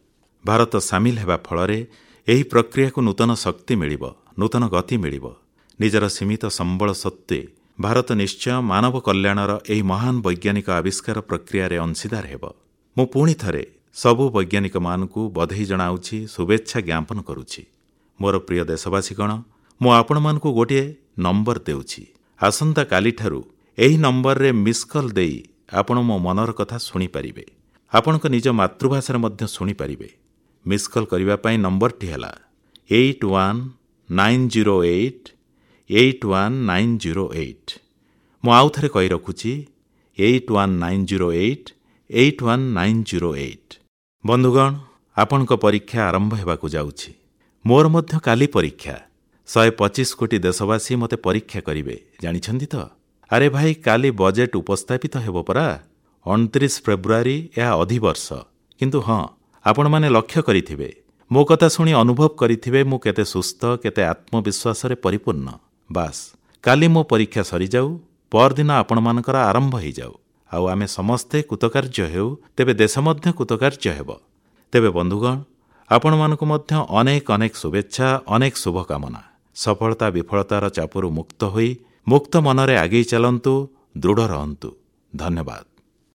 ଭାରତ ସାମିଲ ହେବା ଫଳରେ ଏହି ପ୍ରକ୍ରିୟାକୁ ନୂତନ ଶକ୍ତି ମିଳିବ, ନୂତନ ଗତି ମିଳିବ। ନିଜର ସୀମିତ ସମ୍ବଳ ସତ୍ତ୍ୱେ ଭାରତ ନିଶ୍ଚୟ ମାନବ କଲ୍ୟାଣର ଏହି ମହାନ ବୈଜ୍ଞାନିକ ଆବିଷ୍କାର ପ୍ରକ୍ରିୟାରେ ଅଂଶୀଦାର ହେବ। ମୁଁ ପୁଣି ଥରେ ସବୁ ବୈଜ୍ଞାନିକମାନଙ୍କୁ ବଧେଇ ଜଣାଉଛି, ଶୁଭେଚ୍ଛା ଜ୍ଞାପନ କରୁଛି। ମୋର ପ୍ରିୟ ଦେଶବାସୀଗଣ, ମୁଁ ଆପଣମାନଙ୍କୁ ଗୋଟିଏ ନମ୍ବର ଦେଉଛି। ଆସନ୍ତାକାଲିଠାରୁ ଏହି ନମ୍ବରରେ ମିସ୍ କଲ୍ ଦେଇ ଆପଣ ମୋ ମନର କଥା ଶୁଣିପାରିବେ। ଆପଣଙ୍କ ନିଜ ମାତୃଭାଷାରେ ମଧ୍ୟ ଶୁଣିପାରିବେ। ମିସ୍ କଲ୍ କରିବା ପାଇଁ ନମ୍ବରଟି ହେଲା 819088 81908। ମୁଁ ଆଉ ଥରେ କହି ରଖୁଛି, 819088 81908। ବନ୍ଧୁଗଣ, ଆପଣଙ୍କ ପରୀକ୍ଷା ଆରମ୍ଭ ହେବାକୁ ଯାଉଛି। ମୋର ମଧ୍ୟ କାଲି ପରୀକ୍ଷା। 125 କୋଟି ଦେଶବାସୀ ମୋତେ ପରୀକ୍ଷା କରିବେ, ଜାଣିଛନ୍ତି ତ? ଆରେ ଭାଇ, କାଲି ବଜେଟ୍ ଉପସ୍ଥାପିତ ହେବ ପରା। 29 ଫେବୃଆରୀ, ଏହା ଅଧିବର୍ଷ। କିନ୍ତୁ ହଁ, ଆପଣମାନେ ଲକ୍ଷ୍ୟ କରିଥିବେ, ମୋ କଥା ଶୁଣି ଅନୁଭବ କରିଥିବେ ମୁଁ କେତେ ସୁସ୍ଥ, କେତେ ଆତ୍ମବିଶ୍ୱାସରେ ପରିପୂର୍ଣ୍ଣ। ବାସ୍, କାଲି ମୋ ପରୀକ୍ଷା ସରିଯାଉ, ପରଦିନ ଆପଣମାନଙ୍କର ଆରମ୍ଭ ହେଇଯାଉ, ଆଉ ଆମେ ସମସ୍ତେ କୃତକାର୍ଯ୍ୟ ହେଉ, ତେବେ ଦେଶ ମଧ୍ୟ କୃତକାର୍ଯ୍ୟ ହେବ। ତେବେ ବନ୍ଧୁଗଣ, ଆପଣମାନଙ୍କୁ ମଧ୍ୟ ଅନେକ ଅନେକ ଶୁଭେଚ୍ଛା, ଅନେକ ଶୁଭକାମନା। ସଫଳତା ବିଫଳତାର ଚାପରୁ ମୁକ୍ତ ହୋଇ ମୁକ୍ତ ମନରେ ଆଗେଇ ଚାଲନ୍ତୁ, ଦୃଢ଼ ରହନ୍ତୁ। ଧନ୍ୟବାଦ।